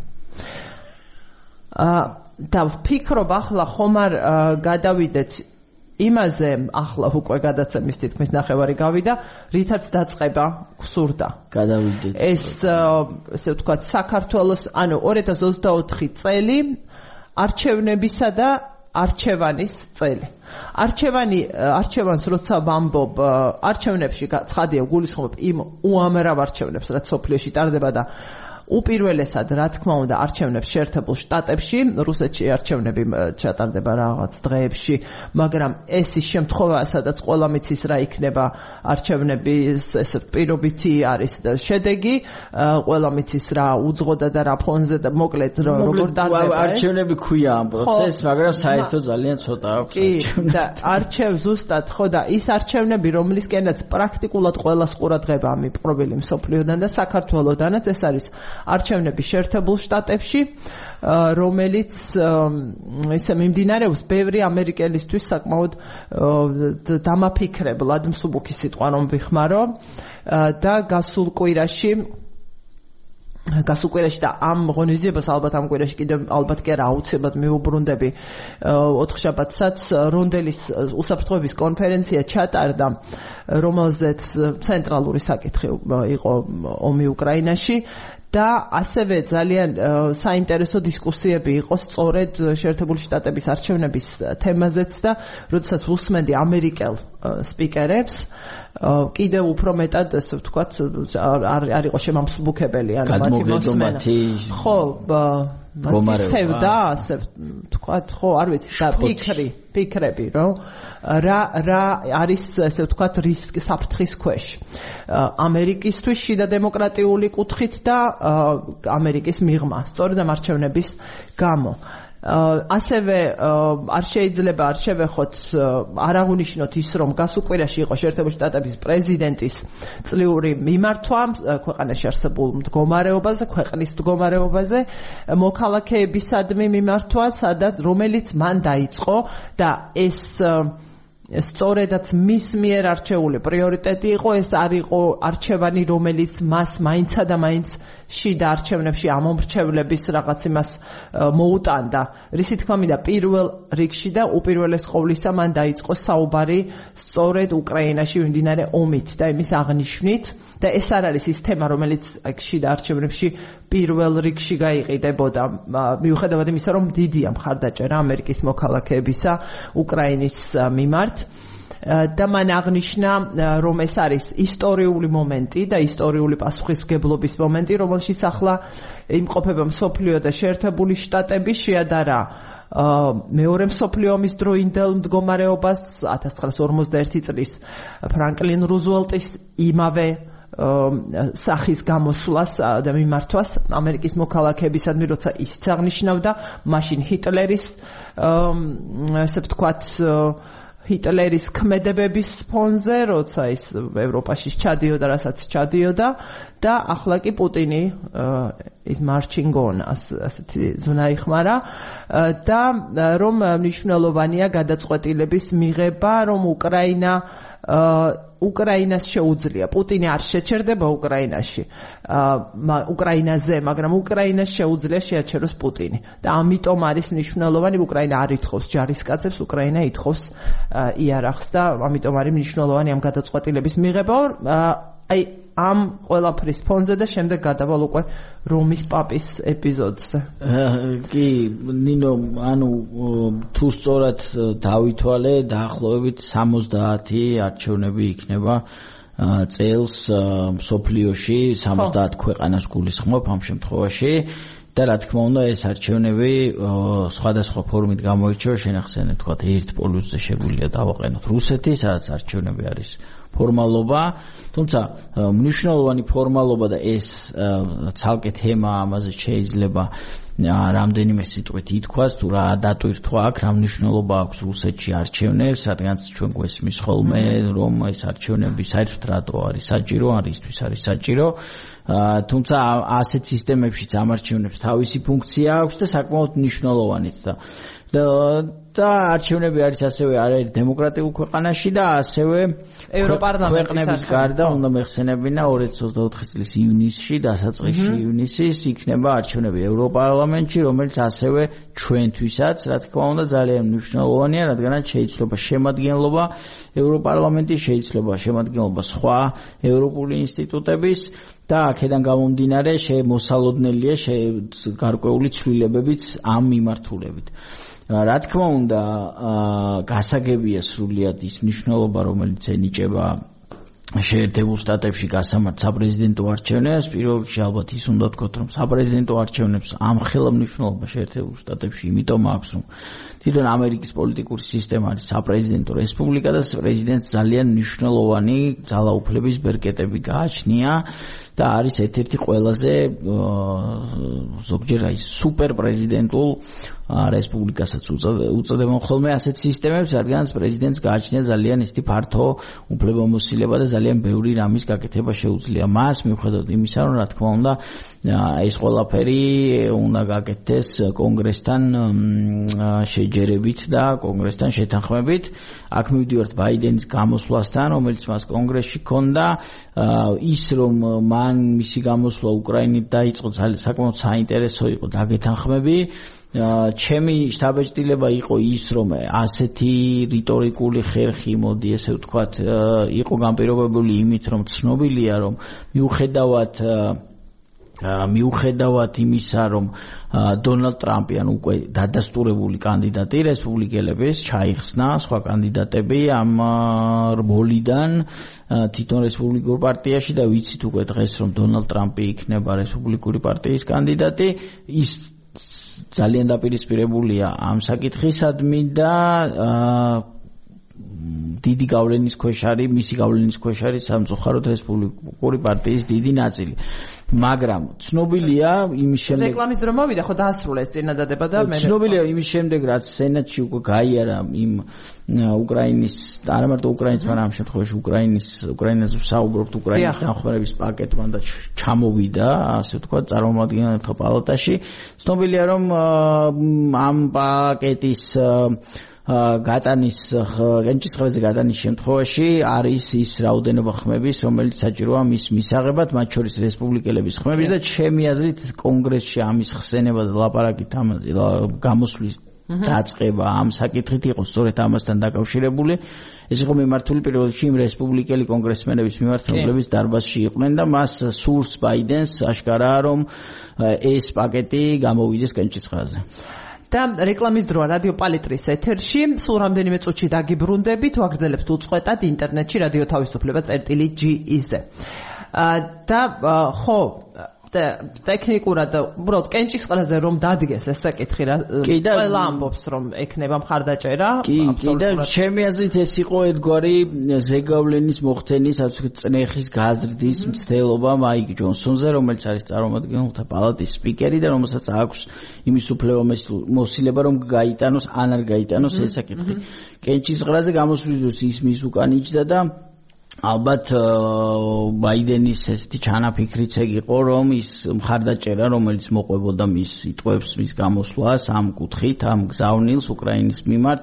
და ვფიქრობ ახლა ხომ არ გადავიდეთ იმაზე, ახლა უკვე გადაცემის თითქმის ნახევარი გავიდა, რითაც დაწყება გსურდა. გადავიდეთ. ეს ესე ვთქვათ, საქართველოს, ანუ ორი ათას ოცდაოთხი წელი არჩევნებისა და არჩევანის წელი. არჩევანი, არჩევანს როცა ვამბობ, არჩევნებში ცხადია გულისხმობ იმ უამრავ არჩევნებს, რაც სოფლიოში ტარდება და უპირველესად, რა თქმა უნდა, არჩევნებს შეერთებულ შტატებში, რუსეთში არჩევნები ჩატარდება რაღაც დღეებში, მაგრამ ეს ის შემთხვევაა, სადაც ყველა მიცის რა იქნება არჩევნების ეს პირობითი არის შედეგი, ყველა მიცის რა უძღოდა და რა ფონზე და მოკლედ როგორ ტარდება ეს. არჩევნები ქვია ამ პროცესს, მაგრამ საერთოდ ძალიან ცოტა აქვს არჩევნები. და არჩევ ზუსტად, ხო და ის არჩევნები, რომლისკენაც პრაქტიკულად ყველას ყურადღება მიპყრობილი მსოფლიოდან და საქართველოდანაც, ეს არის არჩევნები შეერთებულ შტატებში, რომელიც ისე მიმდინარეობს ბევრი ამერიკელისთვის საკმაოდ დამაფიქრებლად, მსუბუქი სიტყვა რომ ვიხმარო და გასულ კვირაში გასულ კვირაში და ამ ღონისძიებას ალბათ ამ კვირაში კიდევ ალბათ კი არა აუცილებლად მივუბრუნდები ოთხშაბათსაც რონდელის უსაფრთხოების კონფერენცია ჩატარდა, რომელზეც ცენტრალური საკითხი იყო ომი უკრაინაში. და ასევე ძალიან საინტერესო დისკუსიები იყო სწორედ შეერთებული შტატების არჩევნების თემაზეც და როდესაც უსმენდი ამერიკელ სპიკერებს, კიდევ უფრო მეტად ესე ვთქვათ არ იყო შემამსუბუქებელი, ანუ მათი მოსმენა. ხო, სევდა, ასე ვთქვათ, ხო, არ ვიცი, და ფიქრი, ფიქრები, რომ რა რა არის ესე ვთქვათ რისკი საფრთხის ქვეშ. ამერიკისთვის შიდა დემოკრატიული კუთხით და ამერიკის მიღმა, სწორედ ამ არჩევნების გამო. ასევე არ შეიძლება არ შევეხოთ, არ აღუნიშნოთ ის, რომ გასულ კვირაში იყო შეერთებული შტატების პრეზიდენტის წლიური მიმართვა ქვეყანაში არსებულ მდგომარეობაზე, ქვეყნის მდგომარეობაზე, მოქალაქეებისადმი მიმართვა, სადაც რომელიც მან დაიწყო და ეს სწორედაც მის მიერ არჩეული პრიორიტეტი იყო, ეს არ იყო არჩევანი, რომელიც მას მაინცა და მაინც შიდა არჩევნებში ამომრჩევლების რაღაც იმას მოუტანდა. რისი თქმა მინდა, პირველ რიგში და უპირველეს ყოვლისა მან დაიწყო საუბარი სწორედ უკრაინაში მიმდინარე ომით და იმის აღნიშვნით და ეს არ არის ის თემა, რომელიც შიდა არჩევნებში პირველ რიგში გაიყიდებოდა, მიუხედავად იმისა, რომ დიდია მხარდაჭერა ამერიკის მოქალაქეებისა უკრაინის მიმართ. და მან აღნიშნა რომ ეს არის ისტორიული მომენტი და ისტორიული პასუხისმგებლობის მომენტი, რომელშიც ახლა იმყოფება მსოფლიო და შეერთებული შტატები, შეადარა მეორე მსოფლიო ომის დროინდელ მდგომარეობას ათას ცხრაასი ორმოცდაერთი წლის ფრანკლინ რუზველტის იმავე სახის გამოსვლას და მიმართვას ამერიკის მოქალაქეებისადმი, როცა ისიც აღნიშნავდა მაშინ ჰიტლერის ესე ვთქვათ ჰიტლერის ქმედებების ფონზე, როცა ის ევროპაში ჩადიოდა, რასაც ჩადიოდა და ახლა კი პუტინი ის marching on ასეთი ზონა იხმარა და რომ მნიშვნელოვანია გადაწყვეტილების მიღება, რომ უკრაინა უკრაინას შეუძლია. პუტინი არ შეჩერდება უკრაინაში, უკრაინაზე, მაგრამ უკრაინას შეუძლია შეაჩეროს პუტინი. და ამიტომ არის მნიშვნელოვანი, უკრაინა არ ითხოვს ჯარისკაცებს, უკრაინა ითხოვს იარაღს და ამიტომ არის მნიშვნელოვანი ამ გადაწყვეტილების მიღება. აი ამ ყველაფრის ფონზე და შემდეგ გადავალ უკვე რომის პაპის ეპიზოდზე. კი, ნინო, ანუ თუ სწორად დავითვალე, დაახლოებით სამოცდაათი არჩევნები იქნება წელს მსოფლიოში, სამოცდაათ ქვეყანას გულისხმობ ამ შემთხვევაში. და რა თქმა უნდა ეს არჩევნები სხვადასხვა ფორმით გამოირჩევა, შენახსენეთ, თქვა ერთ პოლუსზე შეგვიძლია დავაყენოთ რუსეთი, სადაც არჩევნები არის ფორმალობა, თუმცა მნიშვნელოვანი ფორმალობა და ეს ცალკე თემა, ამაზე შეიძლება რამდენიმე სიტყვით ითქვას, თუ რა დატვირთვა აქ, რა მნიშვნელობა აქვს რუსეთში არჩევნებს, რადგანაც ჩვენ გვესმის ხოლმე, რომ ეს არჩევნები საერთოდ რატო არის საჭირო, ან რისთვის არის საჭირო. თუმცა ასეთ სისტემებშიც ამ არჩევნებს თავისი ფუნქცია აქვს და საკმაოდ მნიშვნელოვანიც და და არჩევნები არის ასევე არაერთ დემოკრატიულ ქვეყანაში და ასევე ქვეყნების გარდა უნდა მეხსენებინა ორი ათას ოცდაოთხი წლის ივნისში, დასაწყისში ივნისის იქნება არჩევნები ევროპარლამენტში, რომელიც ასევე ჩვენთვისაც, რა თქმა უნდა, ძალიან მნიშვნელოვანია, რადგანაც შეიძლება შემადგენლობა ევროპარლამენტის, შეიძლება შემადგენლობა სხვა ევროპული ინსტიტუტების და აქედან გამომდინარე შემოსალოდნელია გარკვეული ცვლილებებიც ამ მიმართულებით. რა თქმა უნდა, გასაგებია სრულიად ის მნიშვნელობა, რომელიც ენიჭება შეერთებულ შტატებში გასამართ საპრეზიდენტო არჩევნებს. პირველ რიგში ალბათ ის უნდა ვთქვათ, რომ საპრეზიდენტო არჩევნებს ამხელა მნიშვნელობა შეერთებულ შტატებში იმიტომ აქვს, რომ თვითონ ამერიკის პოლიტიკური სისტემა არის საპრეზიდენტო რესპუბლიკა და პრეზიდენტს ძალიან მნიშვნელოვანი ძალაუფლების ბერკეტები გააჩნია და არის ერთ-ერთი ყველაზე ზოგჯერ აი სუპერ პრეზიდენტულ რესპუბლიკასაც უწოდებენ ხოლმე ასეთ სისტემებს, რადგანაც პრეზიდენტს გააჩნია ძალიან ისეთი ფართო უფლებამოსილება და ძალიან ბევრი რამის გაკეთება შეუძლია მას, მიუხედავად იმისა, რომ რა თქმა უნდა ეს ყველაფერი უნდა გაკეთდეს კონგრესთან შეჯერებით და კონგრესთან შეთანხმებით. აქ მივდივართ ბაიდენის გამოსვლასთან, რომელიც მას კონგრესში ჰქონდა, ის რომ მან მისი გამოსვლა უკრაინით დაიწყო, საკმაოდ საინტერესო იყო დაგეთანხმები. ჩემი შთაბეჭდილება იყო ის, რომ ასეთი რიტორიკული ხერხი, მოდი ესე ვთქვათ, იყო განპირობებული იმით, რომ ცნობილია, რომ მიუხედავად მიუხედავად იმისა, რომ დონალდ ტრამპი ან უკვე დადასტურებული კანდიდატი რესპუბლიკელების ჩაიხსნა სხვა კანდიდატები ამ როლიდან თვითონ რესპუბლიკურ პარტიაში და ვიცით უკვე დღეს, რომ დონალდ ტრამპი იქნება რესპუბლიკური პარტიის კანდიდატი, ის ძალიან დაპირისპირებულია ამ საკითხისადმი და დიდი გავლენის ქვეშ არის, მისი გავლენის ქვეშ არის სამწუხაროდ რესპუბლიკური პარტიის დიდი ნაწილი. მაგრამ ცნობილია იმის შემდეგ რეკლამის დრო მოვიდა, ხო დაასრულეს წინადადება და მე ცნობილია იმის შემდეგ, რაც სენატში უკვე გაიარა იმ უკრაინის, არა მარტო უკრაინის, მაგრამ ამ შემთხვევაში უკრაინის, უკრაინაზე ვსაუბრობთ, უკრაინის დახმარების პაკეტმა და ჩამოვიდა, ასე ვთქვათ, წარმომადგენელთა პალატაში. ცნობილია, რომ ამ პაკეტის გატანის გენჭისყრაზე გატანის შემთხვევაში არის ის რაოდენობა ხმების, რომელიც საჭიროა მის მისაღებად, მათ შორის რესპუბლიკელების ხმების და ჩემი აზრით კონგრესში ამის ხსენება და ლაპარაკით ამ გამოსვლის დაწყება ამ საკითხით იყო სწორედ ამასთან დაკავშირებული. ეს იყო მიმართული პირველ რიგში იმ რესპუბლიკელი კონგრესმენების მიმართ, რომლებიც დარბაზში იყვნენ და მას სურს ბაიდენს აშკარაა, რომ ეს პაკეტი გამოვიდეს კენჭისყრაზე. და რეკლამის დროა რადიო პალიტრის ეთერში, სულ რამდენიმე წუთში დაგიბრუნდებით, ვაგრძელებთ უწყვეტად ინტერნეტში რადიო თავისუფლება წერტილი ჯი ი-ზე. და ხო ტექნიკურად უბრალოდ კენჭისყრაზე რომ დადგეს ეს საკითხი რა ყველა ამბობს რომ ექნება მხარდაჭერა კი კი და ჩემი აზრით ეს იყო ერთგვარი ზეგავლენის მოხდენის ასე ვთქვით წნეხის გაზრდის მცდელობა მაიკ ჯონსონზე რომელიც არის წარმომადგენელთა პალატის სპიკერი და რომელსაც აქვს იმის უფლება მოსილება რომ გაიტანოს ან არ გაიტანოს ეს საკითხი კენჭისყრაზე გამოსვლისთვის ის მის უკან იჯდა და ალბათ ბაიდენის ესეთი ჩანაფიქრიც იყო რომ ის მხარდაჭერა რომელიც მოყვებოდა მის სიტყვებს მის გამოსვლას ამ კუთხით ამ გზავნილს უკრაინის მიმართ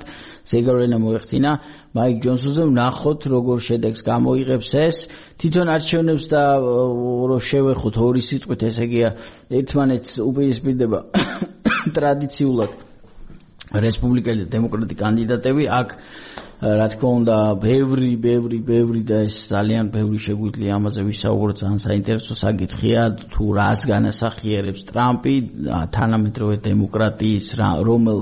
ზეგავლენა მოეხდინა მაიკ ჯონსონზე ვნახოთ როგორ შედეგს გამოიღებს ეს თვითონ არჩევნებს და რო შევეხოთ ორი სიტყვით ესე იგია ერთმანეთს უპირისპირდება ტრადიციულად რესპუბლიკელი და დემოკრატი კანდიდატები აქ რა თქმა უნდა ბევრი ბევრი ბევრი და ეს ძალიან ბევრი შეგვიძლია ამაზე ვისაუბროთ ძალიან საინტერესო საკითხია თუ რას განასახიერებს ტრამპი თანამედროვე დემოკრატიის რომელ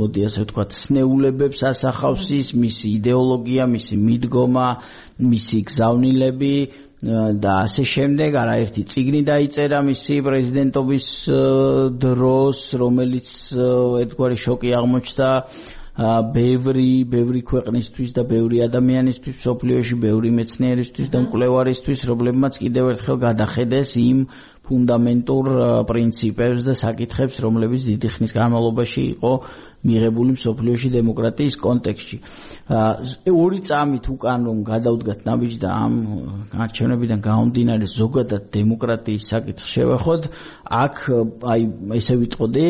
მოდი ასე ვთქვათ სნეულებებს ასახავს ის მისი იდეოლოგია მისი მიდგომა მისი გზავნილები და ასე შემდეგ არაერთი წიგნი დაიწერა მისი პრეზიდენტობის დროს რომელიც ერთგვარი შოკი აღმოჩნდა ბევრი ბევრი ქვეყნისთვის და ბევრი ადამიანისთვის სოფლიოში ბევრი მეცნიერისთვის და მკვლევარისთვის რომლებმაც კიდევ ერთხელ გადახედეს იმ ფუნდამენტურ პრინციპებს და საკითხებს რომლებიც დიდი ხნის განმავლობაში იყო მიღებული მსოფლიოში დემოკრატიის კონტექსტში ორი წამით უკან რომ გადავდგათ ნაბიჯს და ამ არჩევნებიდან გამომდინარე ზოგადად დემოკრატიის საკითხს შევეხოთ აქ აი ესე ვიტყოდი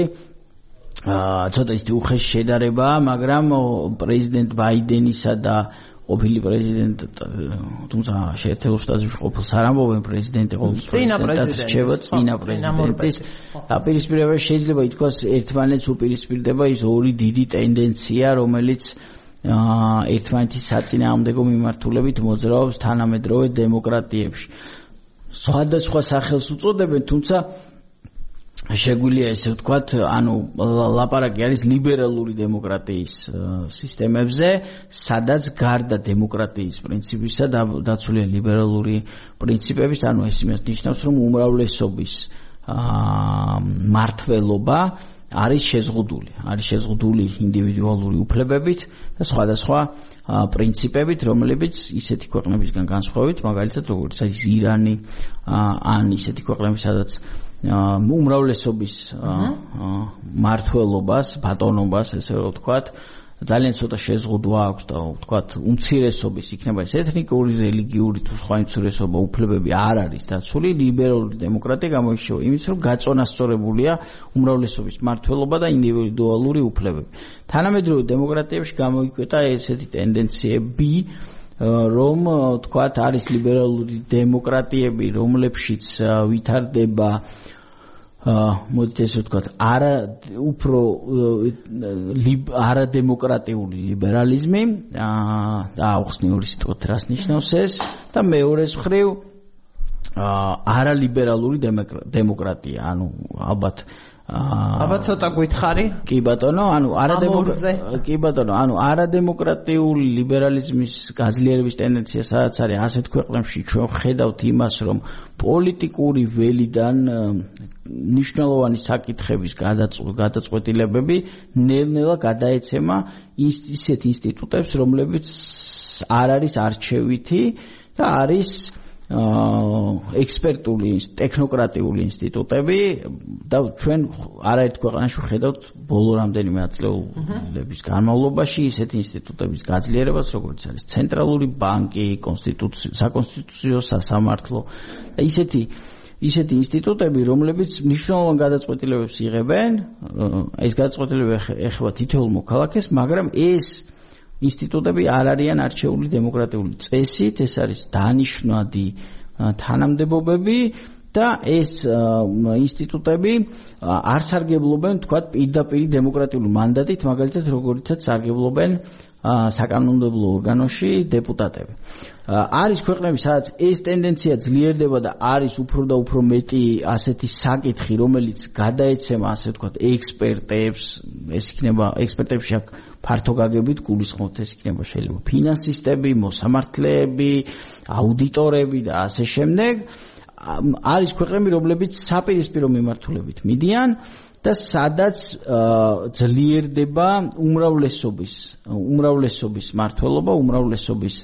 ცოტა ისეთი უხეში შედარებაა, მაგრამ პრეზიდენტ ბაიდენისა და ყოფილი პრეზიდენტ თუმცა შეერთებულ შტატებში ყოფილს არ ამბობენ პრეზიდენტი ყოველ პრეზიდენტად რჩება წინა პრეზიდენტის დაპირისპირება შეიძლება ითქვას ერთმანეთს უპირისპირდება ის ორი დიდი ტენდენცია რომელიც ერთმანეთის საწინააღმდეგო მიმართულებით მოძრაობს თანამედროვე დემოკრატიებში სხვადასხვა სახელს უწოდებენ თუმცა შეგვიძლია ესე ვთქვათ, ანუ ლაპარაკი არის ლიბერალური დემოკრატიის სისტემებზე, სადაც გარდა დემოკრატიის პრინციპისა დაცულია ლიბერალური პრინციპების, ანუ ეს იმას ნიშნავს, რომ უმრავლესობის მართლობა არის შეზღუდული, არის შეზღუდული ინდივიდუალური უფლებებით და სხვადასხვა პრინციპებით, რომლებიც ისეთი ქვეყნებისგან განსხვავებით, მაგალითად როგორც არის ირანი, ან ისეთი ქვეყნები, სადაც უმრავლესობის მართლობას, ბატონობას, ესე რომ ვთქვათ, ძალიან ცოტა შეზღუდვა აქვს და ვთქვათ, უმცირესობის იქნება ეს ეთნიკური, რელიგიური თუ სხვა უმცირესობა უფლებები არ არის დაცული, ლიბერალური დემოკრატია გამოირჩევა იმით, რომ გაწონასწორებულია უმრავლესობის მართლობა და ინდივიდუალური უფლებები. თანამედროვე დემოკრატიებში გამოიკვეთა ესეთი ტენდენციები რომ თქვათ არის ლიბერალური დემოკრატიები, რომლებშიც ვითარდება მოდით ესე ვთქვათ, არა უფრო არადემოკრატიული ლიბერალიზმი და აუხსნი ორი სიტყვით რას ნიშნავს ეს და მეორეს მხრივ არალიბერალური დემოკრატია, ანუ ალბათ ალბათ ცოტა გითხარი? კი ბატონო, ანუ არადემოკრატიული კი ბატონო, ანუ არადემოკრატიული ლიბერალიზმის გაძლიერების ტენდენცია სადაც არის ასეთ ქვეყნებში ჩვენ ხედავთ იმას, რომ პოლიტიკური ველიდან მნიშვნელოვანი საკითხების გადაწყვეტილებები ნელ-ნელა გადაეცემა ისეთ ინსტიტუტებს, რომლებიც არ არის არჩევითი და არის ექსპერტული, ტექნოკრატიული ინსტიტუტები და ჩვენ არაერთ ქვეყანაში ხედავთ ბოლო რამდენიმე ათწლეულების განმავლობაში ისეთი ინსტიტუტების გაძლიერებას, როგორც არის ცენტრალური ბანკი, საკონსტიტუციო სასამართლო და ისეთი ისეთი ინსტიტუტები, რომლებიც მნიშვნელოვან გადაწყვეტილებებს იღებენ, ეს გადაწყვეტილებები ეხება თითოეულ მოქალაქეს, მაგრამ ეს ინსტიტუტები არ არიან არჩეული დემოკრატიული წესით, ეს არის დანიშნვადი თანამდებობები და ეს ინსტიტუტები არ სარგებლობენ, თქვათ, პირდაპირ დემოკრატიული მანდატით, მაგალითად, როგორიცაც სარგებლობენ საკანონმდებლო ორგანოში დეპუტატები. არის ქვეყნები, სადაც ეს ტენდენცია ძლიერდება და არის უფრო და უფრო მეტი ასეთი საკითხი, რომელიც გადაეცემა, ასე ვთქვათ, ექსპერტებს, ეს იქნება ექსპერტებში აქ ფართო გაგებით გულისხმობთ, ეს იქნება შეიძლება ფინანსისტები, მოსამართლეები, აუდიტორები და ასე შემდეგ. არის ქვეყნები, რომლებიც საპირისპირო მიმართულებით მიდიან და სადაც ძლიერდება უმრავლესობის, უმრავლესობის მართლობა, უმრავლესობის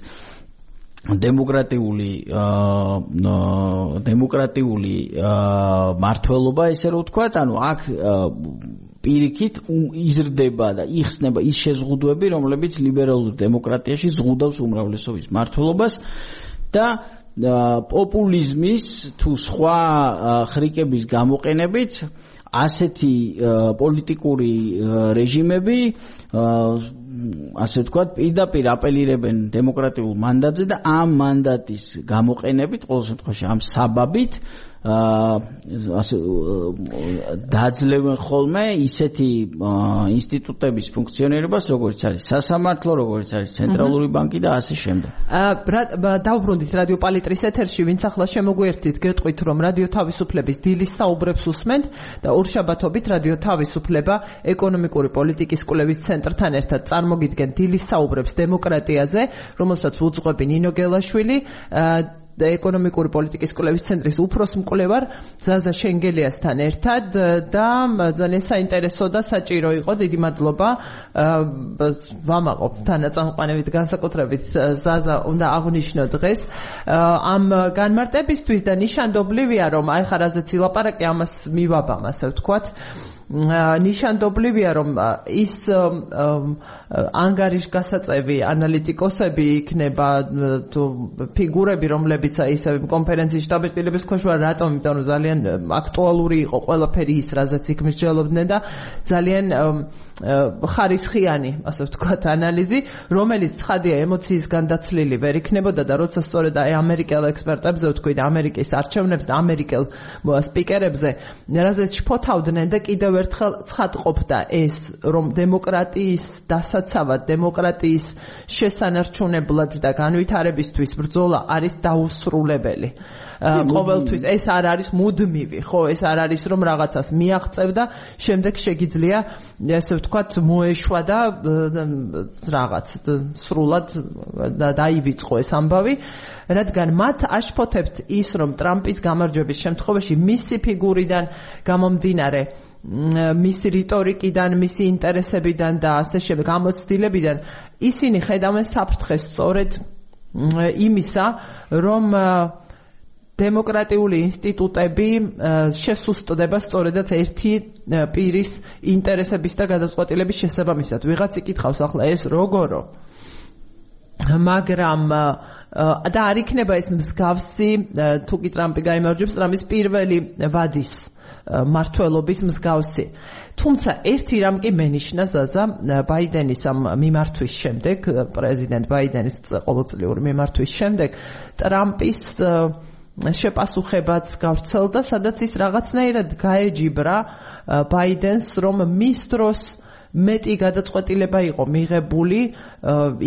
დემოკრატიული დემოკრატიული მართლობა, ესე რომ ვთქვათ, ანუ აქ პირიქით იზრდება და იხსნება ის შეზღუდვები, რომლებიც ლიბერალურ დემოკრატიაში ზღუდავს უმრავლესობის მართლობას და პოპულიზმის თუ სხვა ხრიკების გამოყენებით ასეთი პოლიტიკური რეჟიმები, ასე ვთქვათ, პირდაპირ აპელირებენ დემოკრატიულ მანდატზე და ამ მანდატის გამოყენებით, ყოველ შემთხვევაში ამ საბაბით ასე დაძლევენ ხოლმე ისეთი ინსტიტუტების ფუნქციონირებას, როგორც არის სასამართლო, როგორც არის ცენტრალური ბანკი და ასე შემდეგ. დავბრუნდით რადიო პალიტრის ეთერში, ვინც ახლა შემოგვიერთდით, გეტყვით, რომ რადიო თავისუფლების დილის საუბრებს უსმენთ და ორშაბათობით რადიო თავისუფლება ეკონომიკური პოლიტიკის კვლევის ცენტრთან ერთად წარმოგიდგენ დილის საუბრებს დემოკრატიაზე, რომელსაც უძღვები ნინო გელაშვილი, და ეკონომიკური პოლიტიკის კვლევის ცენტრის უფროს მკვლევარ ზაზა შენგელიასთან ერთად და ძალიან საინტერესო და საჭირო იყო. დიდი მადლობა ვამაყობ თანაწამყვანებით, განსაკუთრებით ზაზა უნდა აღვნიშნო დღეს ამ განმარტებისთვის და ნიშანდობლივია, რომ აი ხარ რაზეც ილაპარაკე, ამას მივაბამ, ასე ვთქვათ. ნიშანდობლივია, რომ ის ანგარიშგასაწევი ანალიტიკოსები იქნება თუ ფიგურები, რომლებიც ისევ კონფერენციის შტაბ-ბიჭდილების ქვეშ ვარ, რატომ? იმიტომ რომ ძალიან აქტუალური იყო ყველაფერი ის, რაზეც იქ მსჯელობდნენ და ძალიან ხარისხიანი, ასე ვთქვათ, ანალიზი, რომელიც ცხადია ემოციის განდაცლილი ვერ იქნებოდა და როცა სწორედ აი ამერიკელ ექსპერტებზე ვთქვი და ამერიკის არჩევნებს და ამერიკელ სპიკერებზე, რაზეც შფოთავდნენ და კიდევ ერთხელ ცხადყოფდა ეს, რომ დემოკრატიის დასაცავად, დემოკრატიის შესანარჩუნებლად და განვითარებისთვის ბრძოლა არის დაუსრულებელი. ყოველთვის ეს არ არის მუდმივი, ხო, ეს არ არის რომ რაღაცას მიაღწევ და შემდეგ შეგიძლია ესე ვთქვათ მოეშვა და რაღაც სრულად დაივიწყო ეს ამბავი, რადგან მათ აშფოთებთ ის, რომ ტრამპის გამარჯვების შემთხვევაში მისი ფიგურიდან გამომდინარე, მისი რიტორიკიდან, მისი ინტერესებიდან და ასე შემდეგ გამოცდილებიდან ისინი ხედავენ საფრთხეს სწორედ იმისა, რომ დემოკრატიული ინსტიტუტები შესუსტდება სწორედაც ერთი პირის ინტერესების და გადაწყვეტილების შესაბამისად. ვიღაც იკითხავს ახლა ეს როგორო, მაგრამ და არ იქნება ეს მსგავსი, თუ კი ტრამპი გაიმარჯვებს, ტრამპის პირველი ვადის მართლობის მსგავსი. თუმცა ერთი რამ კი მენიშნა ზაზა ბაიდენის ამ მიმართვის შემდეგ, პრეზიდენტ ბაიდენის ყოველწლიური მიმართვის შემდეგ, ტრამპის შეპასუხებაც გავრცელდა, სადაც ის რაღაცნაირად გაეჯიბრა ბაიდენს, რომ მის დროს მეტი გადაწყვეტილება იყო მიღებული,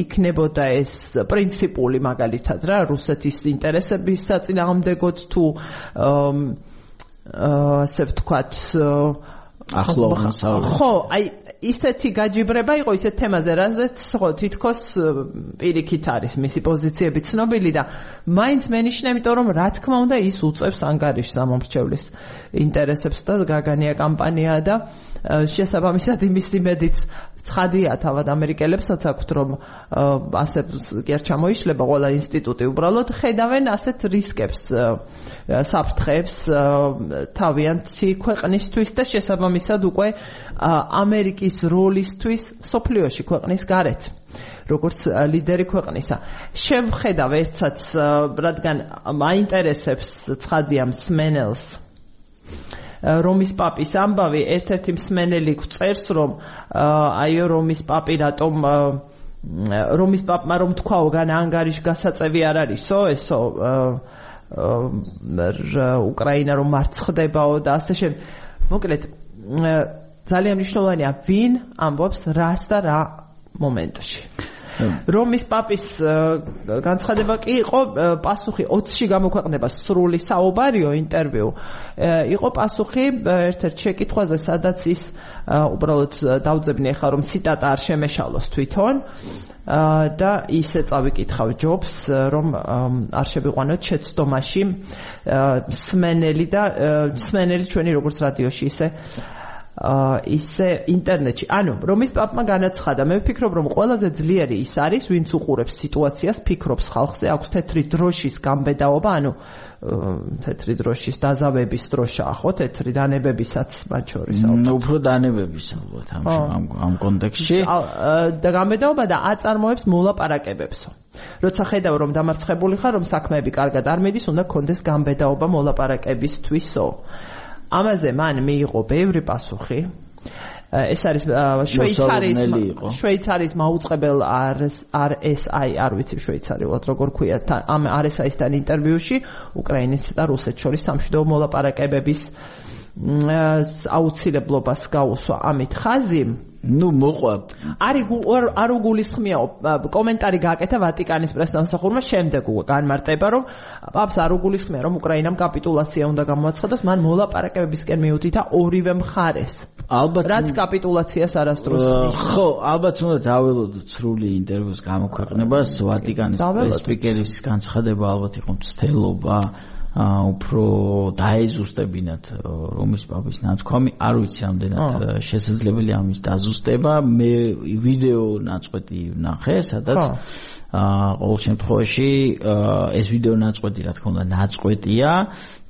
იქნებოდა ეს პრინციპული მაგალითად რა, რუსეთის ინტერესების საწინააღმდეგოდ თუ ასე ვთქვათ ახლოვანს ხო, აი ისეთი გაჯიბრება იყო ისეთ თემაზე, რაზეც ხო თითქოს პირიქით არის მისი პოზიციები ცნობილი და მაინც მენიშნა, იმიტომ რომ რა თქმა უნდა ის უწევს ანგარიშს ამომრჩევლის ინტერესებს და გაგანია კამპანია და შესაბამისად იმის იმედიც ცხადია თავად ამერიკელებსაც აქვთ, რომ ასე კი არ ჩამოიშლება ყველა ინსტიტუტი, უბრალოდ ხედავენ ასეთ რისკებს, საფრთხეებს თავიანთი ქვეყნისთვის და შესაბამისად უკვე ამერიკის როლისთვის სოფლიოში ქვეყნის გარეთ, როგორც ლიდერი ქვეყნისა. შევხედავ ერთსაც, რადგან მაინტერესებს ცხადია მსმენელს რომის პაპის ამბავი, ერთ-ერთი მსმენელი წერს, რომ აიო რომის პაპი რატომ რომის პაპმა რომ თქვაო, გან ანგარიშგასაწევი არ არისო, ესო უკრაინა რომ მარცხდებაო და ასე შემდეგ. მოკლედ ძალიან მნიშვნელოვანია ვინ ამბობს რას და რა მომენტში. რომის პაპის განცხადება კი იყო პასუხი ოცში გამოქვეყნება სრული საუბარიო ინტერვიუ იყო პასუხი ერთ-ერთ შეკითხვაზე სადაც ის უბრალოდ დავძებნი ახლა რომ ციტატა არ შემეშალოს თვითონ და ისე წავიკითხავ ჯობს რომ არ შევიყვანოთ შეცდომაში სმენელი და სმენელი ჩვენი როგორც რადიოში ისე ისე ინტერნეტში. ანუ რომის პაპმა განაცხადა, მე ვფიქრობ რომ ყველაზე ძლიერი ის არის, ვინც უყურებს სიტუაციას, ფიქრობს ხალხზე, აქვს თეთრი დროშის გამბედაობა, ანუ თეთრი დროშის დაზავების დროშაა, ხო, თეთრი დანებებისაც მათ შორის. ნუ უფრო დანებების ალბათ ამ ამ კონტექსტში. და გამბედაობა და აწარმოებს მოლაპარაკებებსო. როცა ხედავ რომ დამარცხებული ხარ, რომ საქმეები კარგად არ მიდის, უნდა გქონდეს გამბედაობა მოლაპარაკებისთვისო. ამაზე მან მიიღო ბევრი პასუხი. ეს არის შვეიცარიის შვეიცარიის მაუწყებელ არ ეს აი არ ვიცი შვეიცარიულად როგორ ქვია ამ არ ეს აისთან ინტერვიუში უკრაინისა და რუსეთს შორის სამშვიდობო მოლაპარაკებების აუცილებლობას გაუსვა ამით ხაზი ნუ მოყვა არ უგულისხმიაო კომენტარი გააკეთა ვატიკანის პრესდამსახურმა შემდეგ განმარტება რომ პაპს არ უგულისხმია რომ უკრაინამ კაპიტულაცია უნდა გამოაცხადოს მან მოლაპარაკებებისკენ მიუთითა ორივე მხარეს ალბათ რაც კაპიტულაციას არასდროს ხო ალბათ უნდა დაველოდოთ სრული ინტერვიუს გამოქვეყნებას ვატიკანის პრესპიკერის განცხადება ალბათ იყო მცდელობა უფრო დაეზუსტებინათ რომის პაპის ნაცვლი არ ვიცი რამდენად შესაძლებელია ამის დაზუსტება მე ვიდეო ნაწყვეტი ვნახე სადაც ყოველ შემთხვევაში ეს ვიდეო ნაწყვეტი რა თქმა უნდა ნაწყვეტია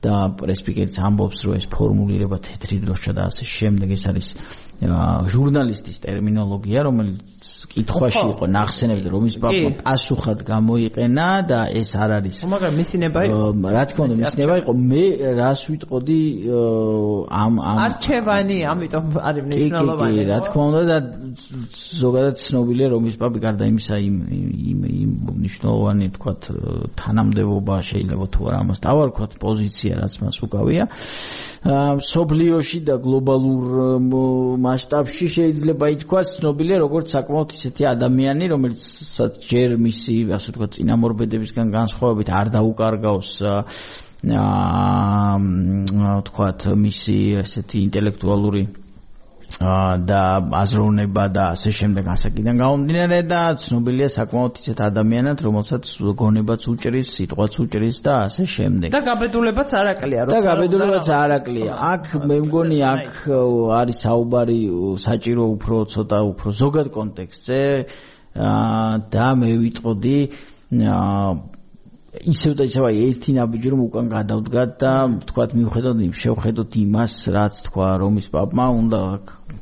და პრესპიკერიც ამბობს რომ ეს ფორმულირება თეთრი დროშა და ასე შემდეგ ეს არის ჟურნალისტის ტერმინოლოგია რომელიც კითხვაში იყო ნახსენები რომის პაპმა პასუხად გამოიყენა და ეს არ არის მაგრამ მისინება იყო რა თქმა უნდა მისინება იყო მე რას ვიტყოდი ამ ამ არჩევანი ამიტომ არის მნიშვნელოვანი რა თქმა უნდა და ზოგადად ცნობილია რომის პაპი გარდა იმისა იმ იმ მნიშვნელოვანი თქვათ თანამდებობა შეიძლება თუ არა ამას დავარქვათ პოზიცია რაც მას უკავია სოფლიოში და გლობალურ მასშტაბში შეიძლება ითქვას ცნობილია როგორც საკმაოდ ისეთი ადამიანი რომელიც ჯერ მისი ასე ვთქვათ წინამორბედებისგან განსხვავებით არ დაუკარგავს აა ვთქვათ მისი ესეთი ინტელექტუალური და აზროვნება და ასე შემდეგ ასაკიდან გამომდინარე და ცნობილია საკმაოდ ისეთ ადამიანად რომელსაც გონებაც უჭრის, სიტყვაც უჭრის და ასე შემდეგ. და გაბედულებაც არაკლია, როცა და გაბედულებაც არაკლია. აქ მე მგონი აქ არის საუბარი საჭირო უფრო ცოტა უფრო ზოგად კონტექსტზე და მე ვიტყოდი ისევ და ისევ ერთი ნაბიჯი რომ უკან გადავდგათ და თქვათ მივხედოთ იმ შევხედოთ იმას რაც თქვა რომის პაპმა უნდა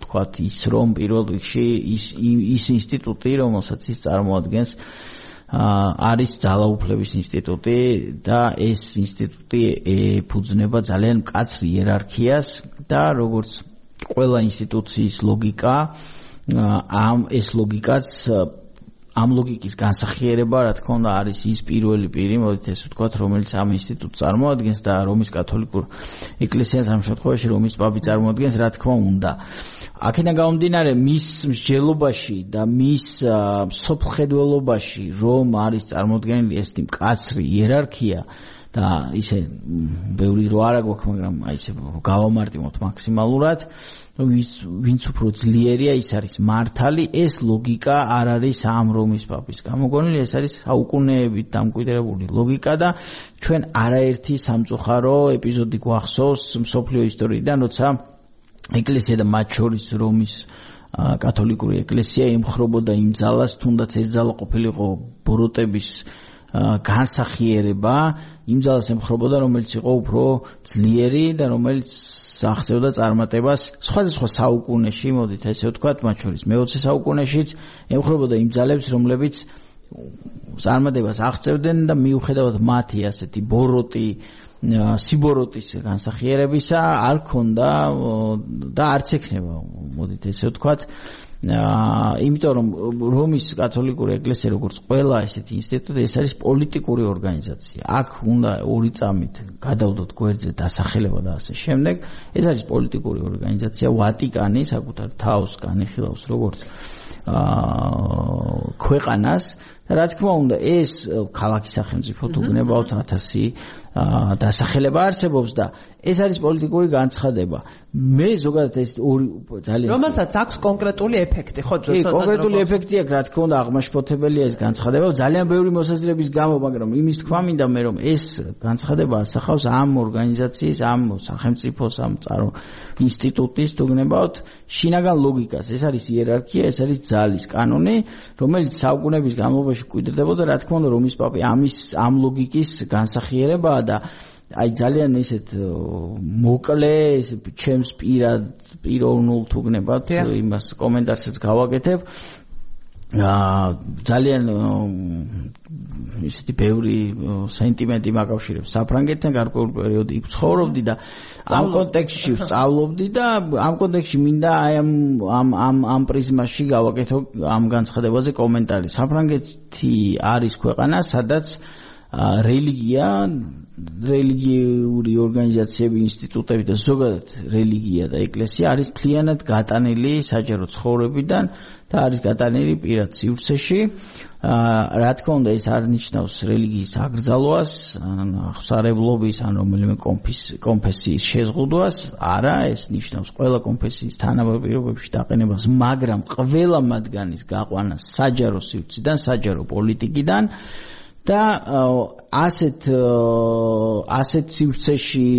თქვათ ის რომ პირველ რიგში ის ის ინსტიტუტი რომელსაც ის წარმოადგენს არის ძალაუფლების ინსტიტუტი და ეს ინსტიტუტი ეფუძნება ძალიან მკაცრ იერარქიას და როგორც ყველა ინსტიტუციის ლოგიკა ამ ეს ლოგიკაც ამ ლოგიკის განსახიერება, რა თქმა უნდა, არის ის პირველი პირი, მოდით ესე ვთქვათ, რომელიც ამ ინსტიტუტს წარმოადგენს და რომის კათოლიკურ ეკლესიას ამ შემთხვევაში რომის პაპი წარმოადგენს, რა თქმა უნდა. აქედან გამომდინარე, მის მსჯელობაში და მის სოფლხედველობაში რომ არის წარმოდგენილი ეს მკაცრი იერარქია და ისე ბევრი რო არა გვაქვს, მაგრამ აი ესე გავამარტივოთ მაქსიმალურად ვინც უფრო ძლიერია ის არის მართალი ეს ლოგიკა არ არის ამ რომის პაპის გამოგონილი ეს არის საუკუნეებით დამკვიდრებული ლოგიკა და ჩვენ არაერთი სამწუხარო ეპიზოდი გვახსოვს მსოფლიო ისტორიიდან როცა ეკლესია და მათ შორის რომის კათოლიკური ეკლესია ემხრობოდა იმ ძალას თუნდაც ეს ძალა ყოფილიყო ბოროტების განსახიერება იმ ძალას ემხრობოდა რომელიც იყო უფრო ძლიერი და რომელიც აღწევდა წარმატებას სხვადასხვა საუკუნეში მოდით ესე ვთქვათ მათ შორის მეოცე საუკუნეშიც ემხრობოდა იმ ძალებს რომლებიც წარმატებას აღწევდნენ და მიუხედავად მათი ასეთი ბოროტი სიბოროტის განსახიერებისა არ ქონდა და არც ექნება მოდით ესე ვთქვათ იმიტომ რომ რომის კათოლიკური ეკლესია როგორც ყველა ესეთი ინსტიტუტი ეს არის პოლიტიკური ორგანიზაცია. აქ უნდა ორი წამით გადავდოთ გვერდზე დასახელება და ასე შემდეგ. ეს არის პოლიტიკური ორგანიზაცია. ვატიკანი საკუთარ თავს განიხილავს როგორც ქვეყანას და რა თქმა უნდა ეს ქალაქის სახელმწიფო თუ გნებავთ ათასი დასახელება არსებობს და ეს არის პოლიტიკური განცხადება. მე ზოგადად ეს ორი ძალიან რომელსაც აქვს კონკრეტული ეფექტი, ხო? კი, კონკრეტული ეფექტი აქვს, რა თქმა უნდა, აღმაშფოთებელია ეს განცხადება, ძალიან ბევრი მოსაზრების გამო, მაგრამ იმის თქვა მინდა მე, რომ ეს განცხადება ასახავს ამ ორგანიზაციის, ამ სახელმწიფოს, ამ წარო ინსტიტუტის თუ გნებავთ შინაგან ლოგიკას. ეს არის იერარქია, ეს არის ძალის კანონი, რომელიც საუკუნეების განმავლობაში მკვიდრდებოდა, რა თქმა უნდა, რომის პაპი ამის ამ ლოგიკის განსახიერებაა და აი ძალიან ისეთ მოკლე ჩემს პირად პიროვნულ თუ გნებავთ იმას კომენტარსაც გავაკეთებ აა ძალიან ისეთი ბევრი სენტიმენტი მაკავშირებს საფრანგეთთან გარკვეულ პერიოდი იქ ცხოვრობდი და ამ კონტექსტში ვსწავლობდი და ამ კონტექსტში მინდა აი ამ ამ ამ ამ პრიზმაში გავაკეთო ამ განცხადებაზე კომენტარი. საფრანგეთი არის ქვეყანა, სადაც რელიგია, რელიგიური ორგანიზაციები, ინსტიტუტები და ზოგადად რელიგია და ეკლესია არის მთლიანად გატანილი საჯარო ცხოვრებიდან და არის გატანილი პირად სივრცეში. რა თქმა უნდა, ეს არ ნიშნავს რელიგიის აკრძალვას, აღსარებლობის ან რომელიმე კონფესიის შეზღუდვას, არა, ეს ნიშნავს ყველა კონფესიის თანაბარ პირობებში დაყენებას, მაგრამ ყველა მათგანის გაყვანას საჯარო სივრციდან, საჯარო პოლიტიკიდან და ასეთ ასეთ სივრცეში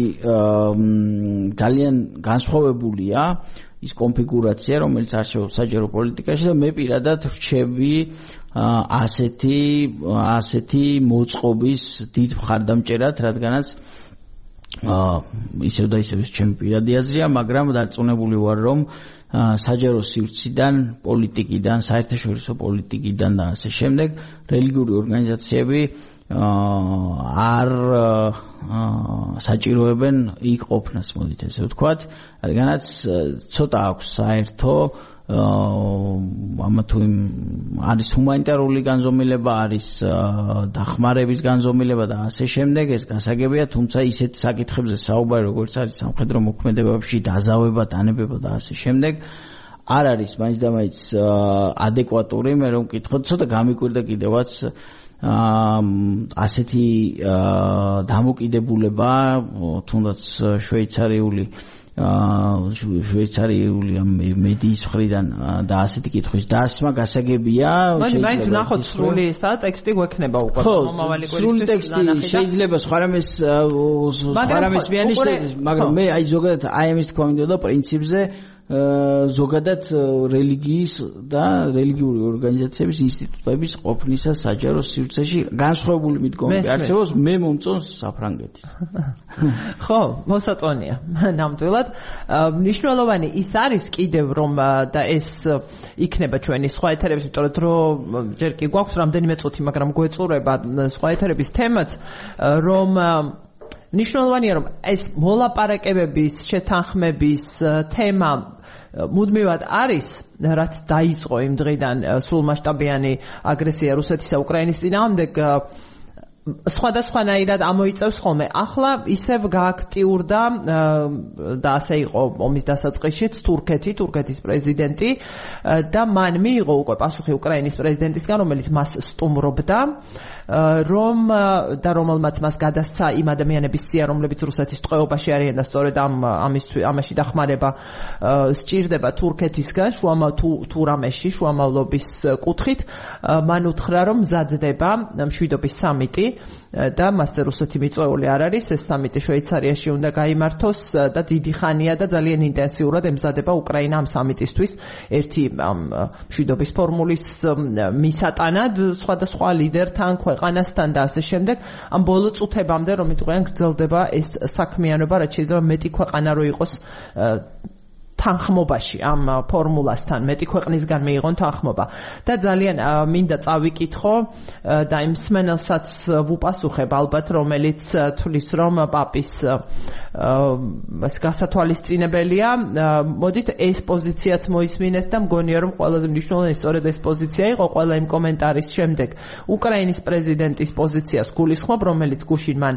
ძალიან განსხვავებულია ის კონფიგურაცია, რომელიც არსებობს საჯარო პოლიტიკაში და მე პირადად რჩები ასეთი ასეთი მოწყობის დიდ მხარდამჭერად, რადგანაც ისევ და ისევ ჩემი პირადი აზრია, მაგრამ დარწმუნებული ვარ, რომ საჯარო სივრციდან, პოლიტიკიდან, საერთაშორისო პოლიტიკიდან და ასე შემდეგ რელიგიური ორგანიზაციები არ საჭიროებენ იქ ყოფნას, მოდით ესე ვთქვათ, რადგანაც ცოტა აქვს საერთო ამა თუ არის ჰუმანიტარული განზომილება, არის დახმარების განზომილება და ასე შემდეგ, ეს გასაგებია, თუმცა ისეთ საკითხებზე საუბარი, როგორც არის სამხედრო მოქმედებებში დაზავება, დანებება და ასე შემდეგ, არ არის მაინც და მაინც ადეკვატური. მე რომ ვკითხოთ, ცოტა გამიკვირდა კიდევაც ასეთი დამოკიდებულება, თუნდაც შვეიცარიული შვეიცარიული მედიის მხრიდან და ასეთი კითხვის დასმა გასაგებია. მაინც ნახოთ სრული ისა ტექსტი გვექნება უკვე მომავალი კვირისთვის. სრული ტექსტი შეიძლება სხვა რამეს სხვა რამეს მიანიშნებდეს, მაგრამ მე აი ზოგადად აი ამის თქვა მინდოდა პრინციპზე ზოგადად რელიგიის და რელიგიური ორგანიზაციების ინსტიტუტების ყოფნისა საჯარო სივრცეში განსხვავებული მიდგომები არსებობს, მე მომწონს საფრანგეთის. ხო, მოსაწონია. ნამდვილად მნიშვნელოვანი ის არის კიდევ რომ და ეს იქნება ჩვენი სხვა ეთერების, იმიტომ რომ დრო ჯერ კი გვაქვს რამდენიმე წუთი, მაგრამ გვეწურება სხვა ეთერების თემაც, რომ მნიშვნელოვანია რომ ეს მოლაპარაკებების, შეთანხმების თემა მუდმივად არის, რაც დაიწყო იმ დღიდან სრულმასშტაბიანი აგრესია რუსეთისა უკრაინის წინააღმდეგ, სხვადასხვანაირად ამოიწევს ხოლმე. ახლა ისევ გააქტიურდა და ასე იყო ომის დასაწყისშიც თურქეთი, თურქეთის პრეზიდენტი და მან მიიღო უკვე პასუხი უკრაინის პრეზიდენტისგან, რომელიც მას სტუმრობდა, რომ და რომელმაც მას გადასცა იმ ადამიანების სია, რომლებიც რუსეთის ტყვეობაში არიან და სწორედ ამ ამაში დახმარება სჭირდება თურქეთისგან შუამავლობაში, შუამავლობის კუთხით. მან უთხრა, რომ მზადდება მშვიდობის სამიტი და მასზე რუსეთი მიწვეული არ არის, ეს სამიტი შვეიცარიაში უნდა გაიმართოს და დიდი ხანია და ძალიან ინტენსიურად ემზადება უკრაინა ამ სამიტისთვის ერთი მშვიდობის ფორმულის მისატანად სხვადასხვა ლიდერთან, ქვეყანასთან და ასე შემდეგ. ამ ბოლო წუთებამდე რომ იტყვიან გრძელდება ეს საქმიანობა, რაც შეიძლება მეტი ქვეყანა რო იყოს თანხმობაში ამ ფორმულასთან, მეტი ქვეყნისგან მიიღონ თანხმობა და ძალიან მინდა წავიკითხო და იმ მსმენელსაც ვუპასუხებ ალბათ, რომელიც თulis რომ პაპის ეს გასათვალისწინებელია. მოდით ეს პოზიციაც მოისმინეთ და მგონია რომ ყველაზე მნიშვნელოვანი სწორედ ეს პოზიცია იყო ყველა იმ კომენტარის შემდეგ. უკრაინის პრეზიდენტის პოზიციას გულისხმობ, რომელიც გუშინ მან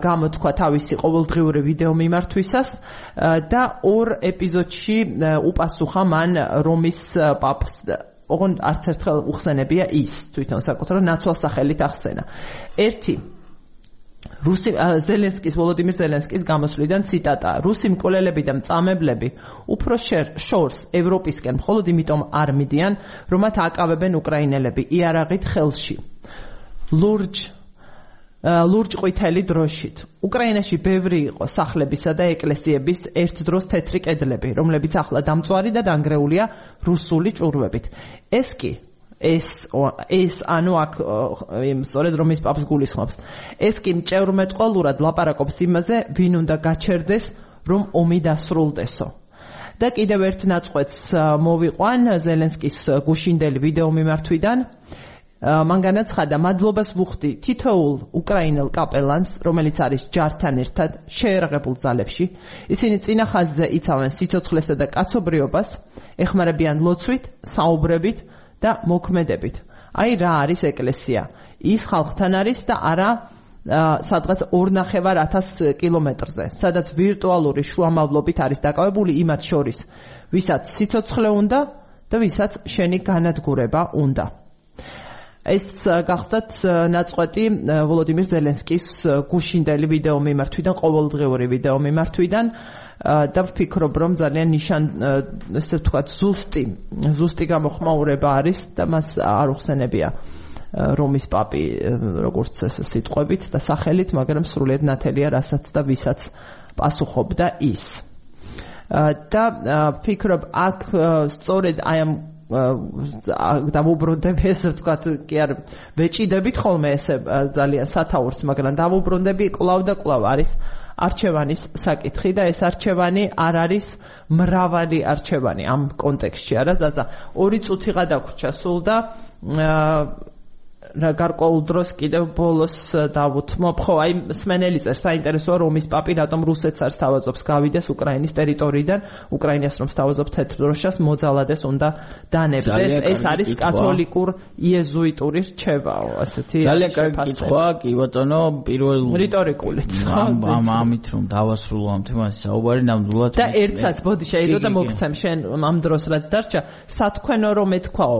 გამოთქვა თავისი ყოველდღიური ვიდეო მიმართვისას და ორ ეპიზოდში უპასუხა მან რომის პაპს ოღონდ არც ერთხელ უხსენებია ის თვითონ საკუთარ ნაცვალ სახელით ახსენა. ერთი რუსი ზელენსკის ვოლოდიმირ ზელენსკის გამოსვლიდან ციტატა: რუსი მკვლელები და მწამებლები უფრო შორს ევროპისკენ მხოლოდ იმიტომ არ მიდიან, რომ მათ აკავებენ უკრაინელები იარაღით ხელში. ლურჯ ლურჯ ყვითელი დროშით. უკრაინაში ბევრი იყო სახლებისა და ეკლესიების ერთ დროს თეთრი კედლები, რომლებიც ახლა დამწვარი და დანგრეულია რუსული ჭურვებით. ეს კი ეს ეს ანუ აქ სწორედ რომ ის პაპს გულისხმობს. ეს კი მჭევრმეტყველურად ლაპარაკობს იმაზე, ვინ უნდა გაჩერდეს, რომ ომი დასრულდესო. და კიდევ ერთ ნაწყვეტს მოვიყვან ზელენსკის გუშინდელი ვიდეო მიმართვიდან. მან განაცხადა: მადლობას ვუხდი თითოეულ უკრაინელ კაპელანს, რომელიც არის ჯართან ერთად შეერაღებულ ძალებში. ისინი წინა ხაზზე იცავენ სიცოცხლესა და კაცობრიობას, ეხმარებიან ლოცვით, საუბრებით და მოქმედებით. აი რა არის ეკლესია. ის ხალხთან არის და არა სადღაც ორნახევარ ათას კილომეტრზე, სადაც ვირტუალური შუამავლობით არის დაკავებული იმათ შორის, ვისაც სიცოცხლე უნდა და ვისაც შენი განადგურება უნდა. ეს გახდათ ნაწყვეტი ვოლოდიმირ ზელენსკის გუშინდელი ვიდეო მიმართვიდან, ყოველდღიური ვიდეო მიმართვიდან და ვფიქრობ, რომ ძალიან ნიშან ესე ვთქვათ ზუსტი ზუსტი გამოხმაურება არის და მას არ უხსენებია რომის პაპი როგორც ეს სიტყვებით და სახელით, მაგრამ სრულიად ნათელია რასაც და ვისაც პასუხობდა ის. და ვფიქრობ, აქ სწორედ აი ამ დავუბრუნდები ესე ვთქვათ, კი არ ვეჭიდებით ხოლმე ესე ძალიან სათაურს, მაგრამ დავუბრუნდები კვლავ და კვლავ არის არჩევანის საკითხი და ეს არჩევანი არ არის მრავალი არჩევანი ამ კონტექსტში. არა ზაზა, ორი წუთიღა დაგვრჩა სულ და რა გარკვეულ დროს კიდევ ბოლოს დავუთმობ. ხო, აი სმენელი წერს, საინტერესოა რომის პაპი რატომ რუსეთს არ სთავაზობს გავიდეს უკრაინის ტერიტორიიდან, უკრაინას რომ სთავაზობ თეთრ დროშას მოძალადეს უნდა დანებდეს. ეს არის კათოლიკურ იეზუიტური რჩევაო, ასეთი. ძალიან კარგი კითხვა, კი ბატონო, პირველ რიტორიკულით. ამ ამით რომ დავასრულო ამ თემას საუბარი ნამდვილად და ერთსაც ბოდი შეიძლება და მოგცემ შენ ამ დროს რაც დარჩა, სათქვენო რომ ეთქვაო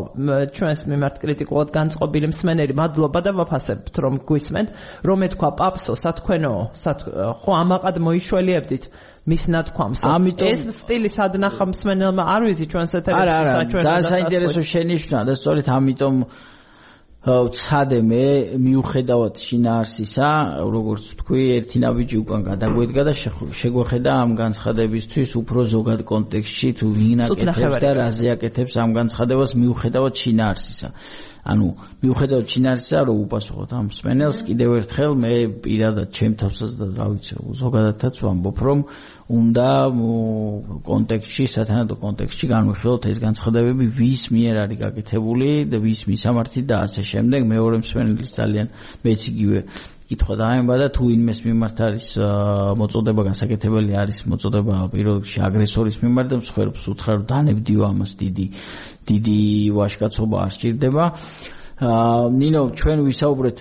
ჩვენს მიმართ კრიტიკულად განწყობილი მსმენელი, მადლობა და ვაფასებთ რომ გვისმენთ, რომ ეთქვა პაპსო სათქვენო, ხო ამაყად მოიშველიებდით მის ნათქვამს. ეს სტილი სადნახა მსმენელმა არ ვიზი ჩვენს ეთერში საჩვენო. ძალიან საინტერესო შენიშვნა და სწორედ ამიტომ ვცადე მე მიუხედავად შინაარსისა, როგორც თქვი, ერთი ნაბიჯი უკან გადაგვედგა და შეგვეხედა ამ განცხადებისთვის უფრო ზოგად კონტექსტში თუ ვინ აკეთებს და რაზე აკეთებს ამ განცხადებას მიუხედავად შინაარსისა. ანუ მიუხედავად შინაარსისა, რომ უპასუხოთ ამ მსმენელს, კიდევ ერთხელ მე პირადად ჩემ თავსაც და რა ვიცი, ზოგადადაც ვამბობ, რომ უნდა კონტექსტში, სათანადო კონტექსტში განვიხილოთ ეს განცხადებები, ვის მიერ არის გაკეთებული და ვის მისამართი და ასე შემდეგ. მეორე მსმენელის ძალიან მეც იგივე კითხვა დაემბა და თუ ინმეს მიმართ არის მოწოდება გასაკეთებელი არის მოწოდება პირველ რიგში აგრესორის მიმართ და მსხვერპლს უთხრა რომ დანებდიო ამას დიდი დიდი ვაჟკაცობა არ სჭირდება. ნინო, ჩვენ ვისაუბრეთ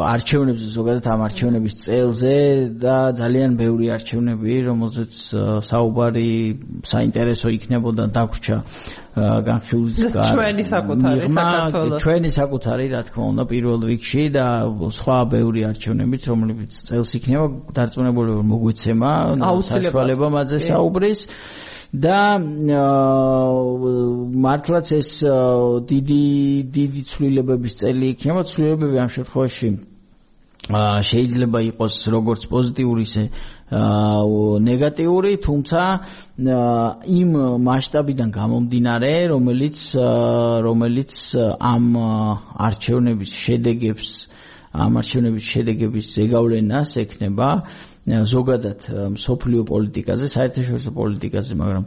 არჩევნებზე, ზოგადად ამ არჩევნების წელზე და ძალიან ბევრი არჩევნები, რომელზეც საუბარი საინტერესო იქნებოდა დაგვრჩა განხილვის ჩვენი საკუთარი საქართველოს ჩვენი საკუთარი რა თქმა უნდა პირველ რიგში და სხვა ბევრი არჩევნებიც, რომლებიც წელს იქნება დარწმუნებული რომ მოგვეცემა საშუალება მათზე საუბრის. და მართლაც ეს დიდი დიდი ცვლილებების წელი იქნება. ცვლილებები ამ შემთხვევაში შეიძლება იყოს როგორც პოზიტიური, ისე ნეგატიური, თუმცა იმ მასშტაბიდან გამომდინარე, რომელიც რომელიც ამ არჩევნების შედეგებს ამ არჩევნების შედეგების ზეგავლენას ექნება ზოგადად მსოფლიო პოლიტიკაზე, საერთაშორისო პოლიტიკაზე, მაგრამ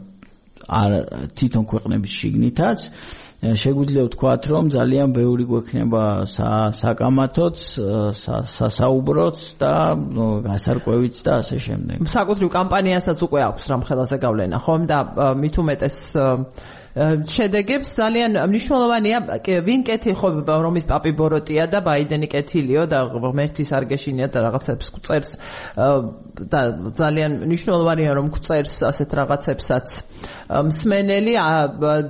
არ თვითონ ქვეყნების შიგნითაც შეგვიძლია ვთქვათ, რომ ძალიან ბევრი გვექნება საკამათოც, სასაუბროც და გასარკვევიც და ასე შემდეგ. საკუთრივ კამპანიასაც უკვე აქვს რამხელა ზეგავლენა, ხომ და მით უმეტეს შედეგებს ძალიან მნიშვნელოვანია ვინ კეთილ რომის პაპი ბოროტია და ბაიდენი კეთილიო და ღმერთის არ გეშინიათ და რაღაცებს გვწერს და ძალიან მნიშვნელოვანია რომ გვწერს ასეთ რაღაცებსაც მსმენელი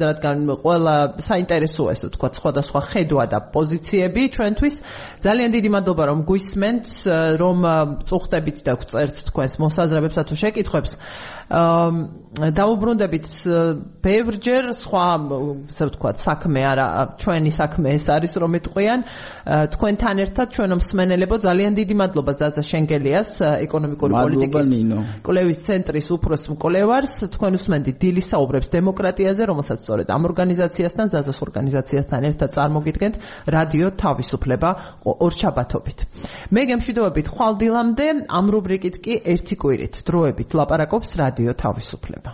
რადგან ყველა საინტერესოა ესე ვთქვათ სხვადასხვა ხედვა და პოზიციები ჩვენთვის ძალიან დიდი მადლობა რომ გვისმენთ რომ წუხდებით და გვწერთ თქვენს მოსაზრებებსა თუ შეკითხვებს დაუბრუნდებით ბევრჯერ სხვა ასე ვთქვათ საქმე არა ჩვენი საქმე ეს არის რომ ეტყვიან თქვენთან ერთად ჩვენო მსმენელებო ძალიან დიდი მადლობა ზაზა შენგელიას ეკონომიკური პოლიტიკის კვლევის ცენტრის უფროს მკვლევარს თქვენ უსმენთ დილის საუბრებს დემოკრატიაზე რომელსაც სწორედ ამ ორგანიზაციასთან ზაზას ორგანიზაციასთან ერთად წარმოგიდგენთ რადიო თავისუფლება ორშაბათობით მე გემშვიდობებით ხვალ დილამდე ამ რუბრიკით კი ერთი კვირით დროებით ლაპარაკობს რადიო თავისუფლება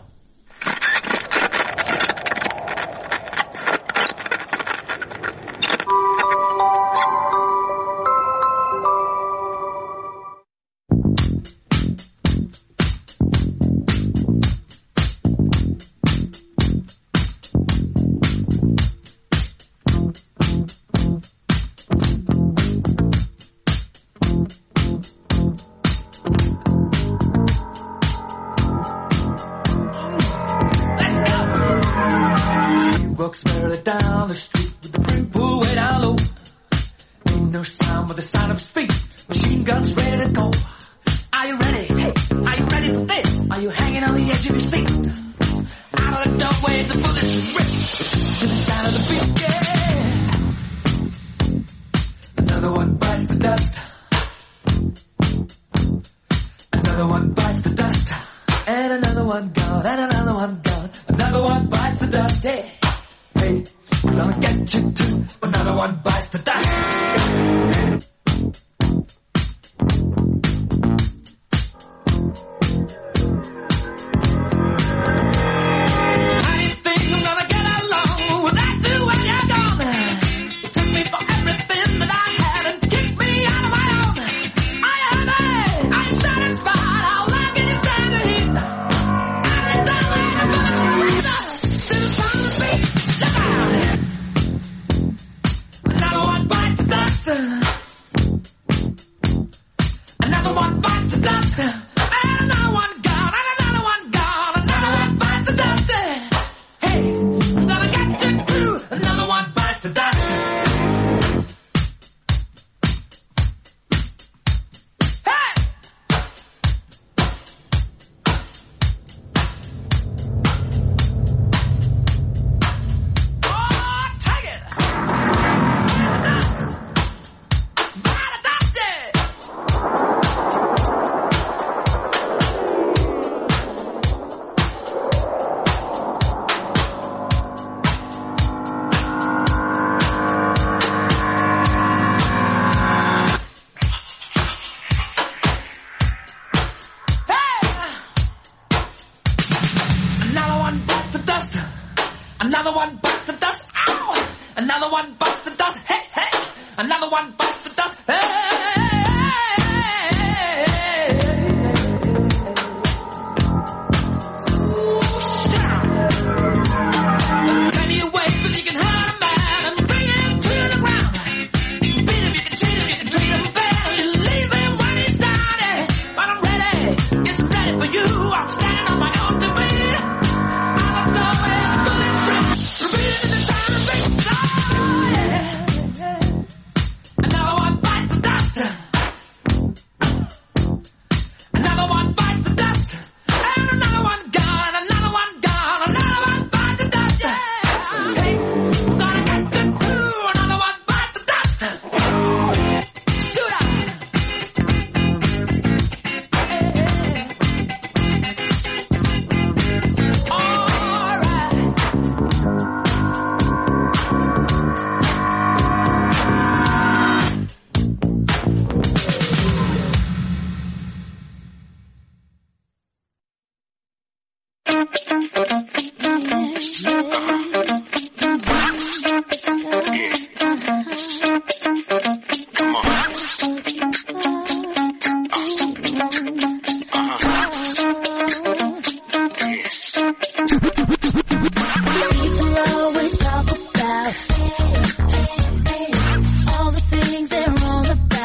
Another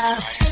Yeah.